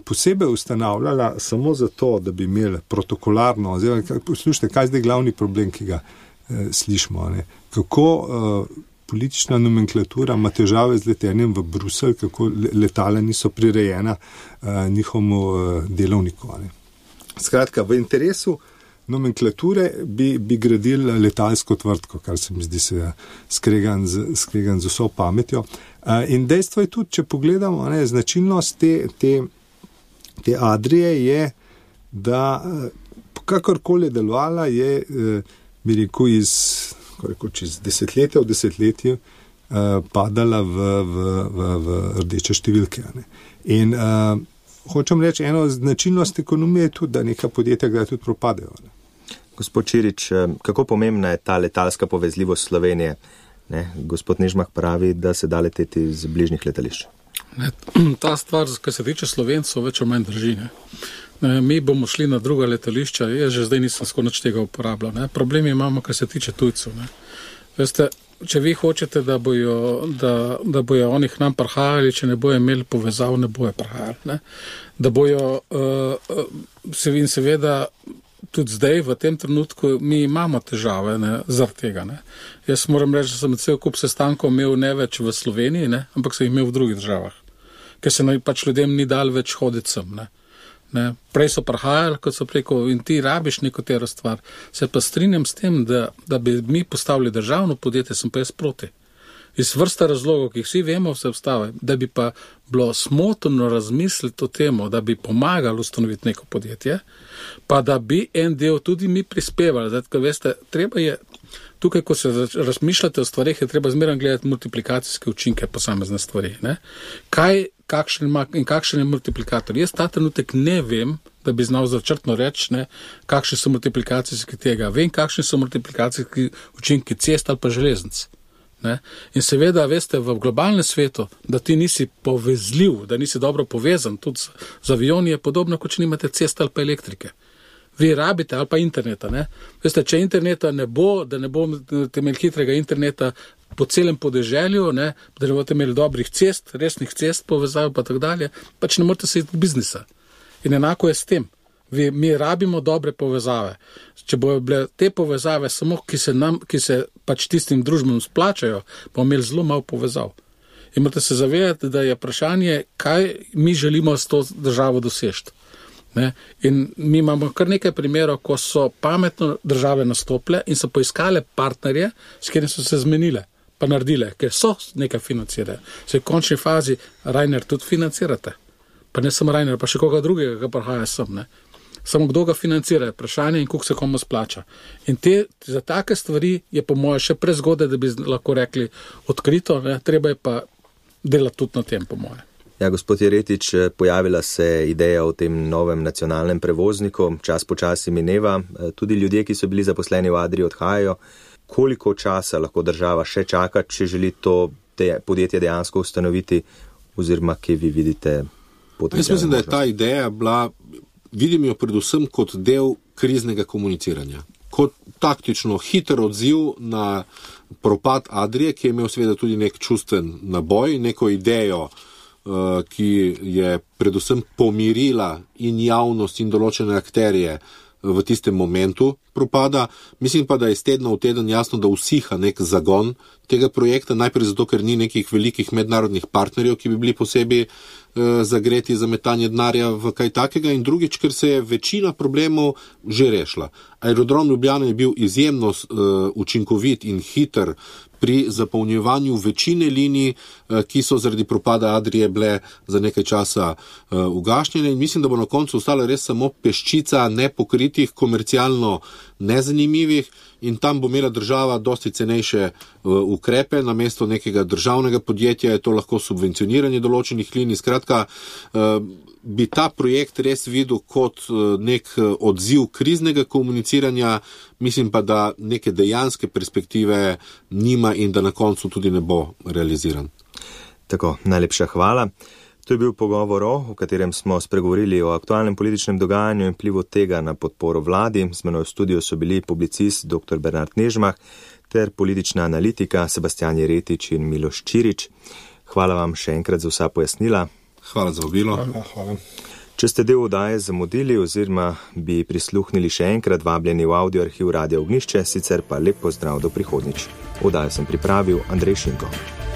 posebej ustanavljala samo zato, da bi imeli protokolarno, poslušajte, kaj je zdaj glavni problem, ki ga slišimo, ne? Kako politična nomenklatura ima težave z letenjem v Bruselj, kako letala niso prirejena njihovemu delovniku. Ne? Skratka, v interesu nomenklature bi gradili letalsko tvrtko, kar se mi zdi se skregan z vso pametjo. In dejstvo je tudi, če pogledamo, ne, značilnost te Adrie je, da kakorkoli delovala je, bi rekel, čez desetletja v desetletje padala v rdeče številke. Ne. In hočem reči, eno značilnost ekonomije je tudi, da neka podjetja kdaj tudi propadejo. Ne. Gospod Čirič, kako pomembna je ta letalska povezljivost Slovenije? Ne? Gospod Nežmah pravi, da se da leteti z bližnjih letališč. Ta stvar, kar se tiče Slovencov, več o manj drži. Mi bomo šli na druga letališča, jaz že zdaj nisem skoraj nič tega uporabljal. Ne? Problemi imamo, kar se tiče tujcev. Ne? Veste, če vi hočete, da bojo oni k nam prihajali, če ne bojo imeli povezav, ne bojo prihajali. Ne? Da bojo, seveda, tudi zdaj, v tem trenutku, mi imamo težave zaradi tega. Ne? Jaz moram reči, da sem cel kup sestankov imel ne več v Sloveniji, ne? Ampak sem jih imel v drugih državah, ker se pač ljudem ni dal več hoditi sem. Ne? Prej so prihajali, kot so preko, in ti rabiš neko tero stvar. Se pa strinjam s tem, da bi mi postavili državno podjetje, sem pa jaz proti. Iz vrsta razlogov, ki jih vsi vemo, vse obstave, da bi pa bilo smotrno razmisliti o temu, da bi pomagali ustanoviti neko podjetje, pa da bi en del tudi mi prispevali. Zdaj, veste, treba je, tukaj, ko se razmišljate o stvarih, je treba zmeraj gledati multiplikacijske učinke posamezne stvari. Ne? Kakšen je multiplikator? Jaz ta trenutek ne vem, da bi znal začrtno reči, kakšni so multiplikacijski tega. Vem, kakšni so multiplikacijski učinki cest ali pa železnic. Ne? In seveda, veste, v globalnem svetu, da ti nisi povezljiv, da nisi dobro povezan, tudi z avioni je podobno, kot če nimate ceste ali pa elektrike. Vi rabite ali pa interneta. Ne? Veste, če interneta ne bo, da ne bo imeli hitrega interneta po celem podeželju, ne? Da ne boste imeli dobrih cest, resnih cest povezav pa tako dalje, pač ne morete se iti v biznisa. In enako je s tem. Mi rabimo dobre povezave. Če bojo bile te povezave samo, ki se pač tistim družbam splačajo, bomo imeli zelo malo povezav. In morate se zavedati, da je vprašanje, kaj mi želimo s to državo doseči. In mi imamo kar nekaj primerov, ko so pametno države nastopile in so poiskale partnerje, s katerimi so se zmenile, pa naredile, ker so nekaj financirale. Se v končni fazi Ryanair tudi financirate. Pa ne samo Ryanair, pa še koga drugega, ki prihaja sem. Ne? Samo kdo ga financira, vprašanje in koliko se komu splača. In za take stvari je po moje še prezgodaj, da bi lahko rekli odkrito, ne? Treba je pa delati tudi na tem, po moje. Ja, gospod Jeretič, pojavila se ideja o tem novem nacionalnem prevozniku, čas počasi mineva, tudi ljudje, ki so bili zaposleni v Adrii, odhajajo. Koliko časa lahko država še čaka, če želi to podjetje dejansko ustanoviti, oziroma kje vi vidite potencialne možnosti? Jaz mislim, da je ta ideja bila, vidim jo predvsem kot del kriznega komuniciranja, kot taktično hiter odziv na propad Adrie, ki je imel seveda tudi nek čustven naboj, neko idejo, ki je predvsem pomirila in javnost in določene akterje v tistem momentu propada. Mislim pa, da je iz tedna v teden jasno, da usiha nek zagon tega projekta, najprej zato, ker ni nekih velikih mednarodnih partnerjev, ki bi bili posebej zagreti za metanje denarja v kaj takega, in drugič, ker se je večina problemov že rešila. Aerodrom Ljubljana je bil izjemno učinkovit in hiter pri zapolnjevanju večine linij, ki so zaradi propada Adrie bile za nekaj časa ugašnjene, in mislim, da bo na koncu ostala res samo peščica nepokritih, komercialno nezanimivih, in tam bo imela država dosti cenejše ukrepe, namesto nekega državnega podjetja je to lahko subvencioniranje določenih linij. Skratka, bi ta projekt res videl kot nek odziv kriznega komuniciranja, mislim pa, da neke dejanske perspektive nima in da na koncu tudi ne bo realiziran. Tako, najlepša hvala. To je bil pogovor, v katerem smo spregovorili o aktualnem političnem dogajanju in vplivu tega na podporo vladi. Z menoj v studiu so bili publicist dr. Bernard Nežmah ter politična analitika Sebastian Jeretič in Miloš Čirič. Hvala vam še enkrat za vsa pojasnila. Hvala za vabilo. Hvala. Če ste del oddaje zamudili oziroma bi prisluhnili še enkrat, vabljeni v audio arhiv Radia Ognjišče, sicer pa lep pozdrav do prihodnjič. Oddajo sem pripravil Andrej Šinko.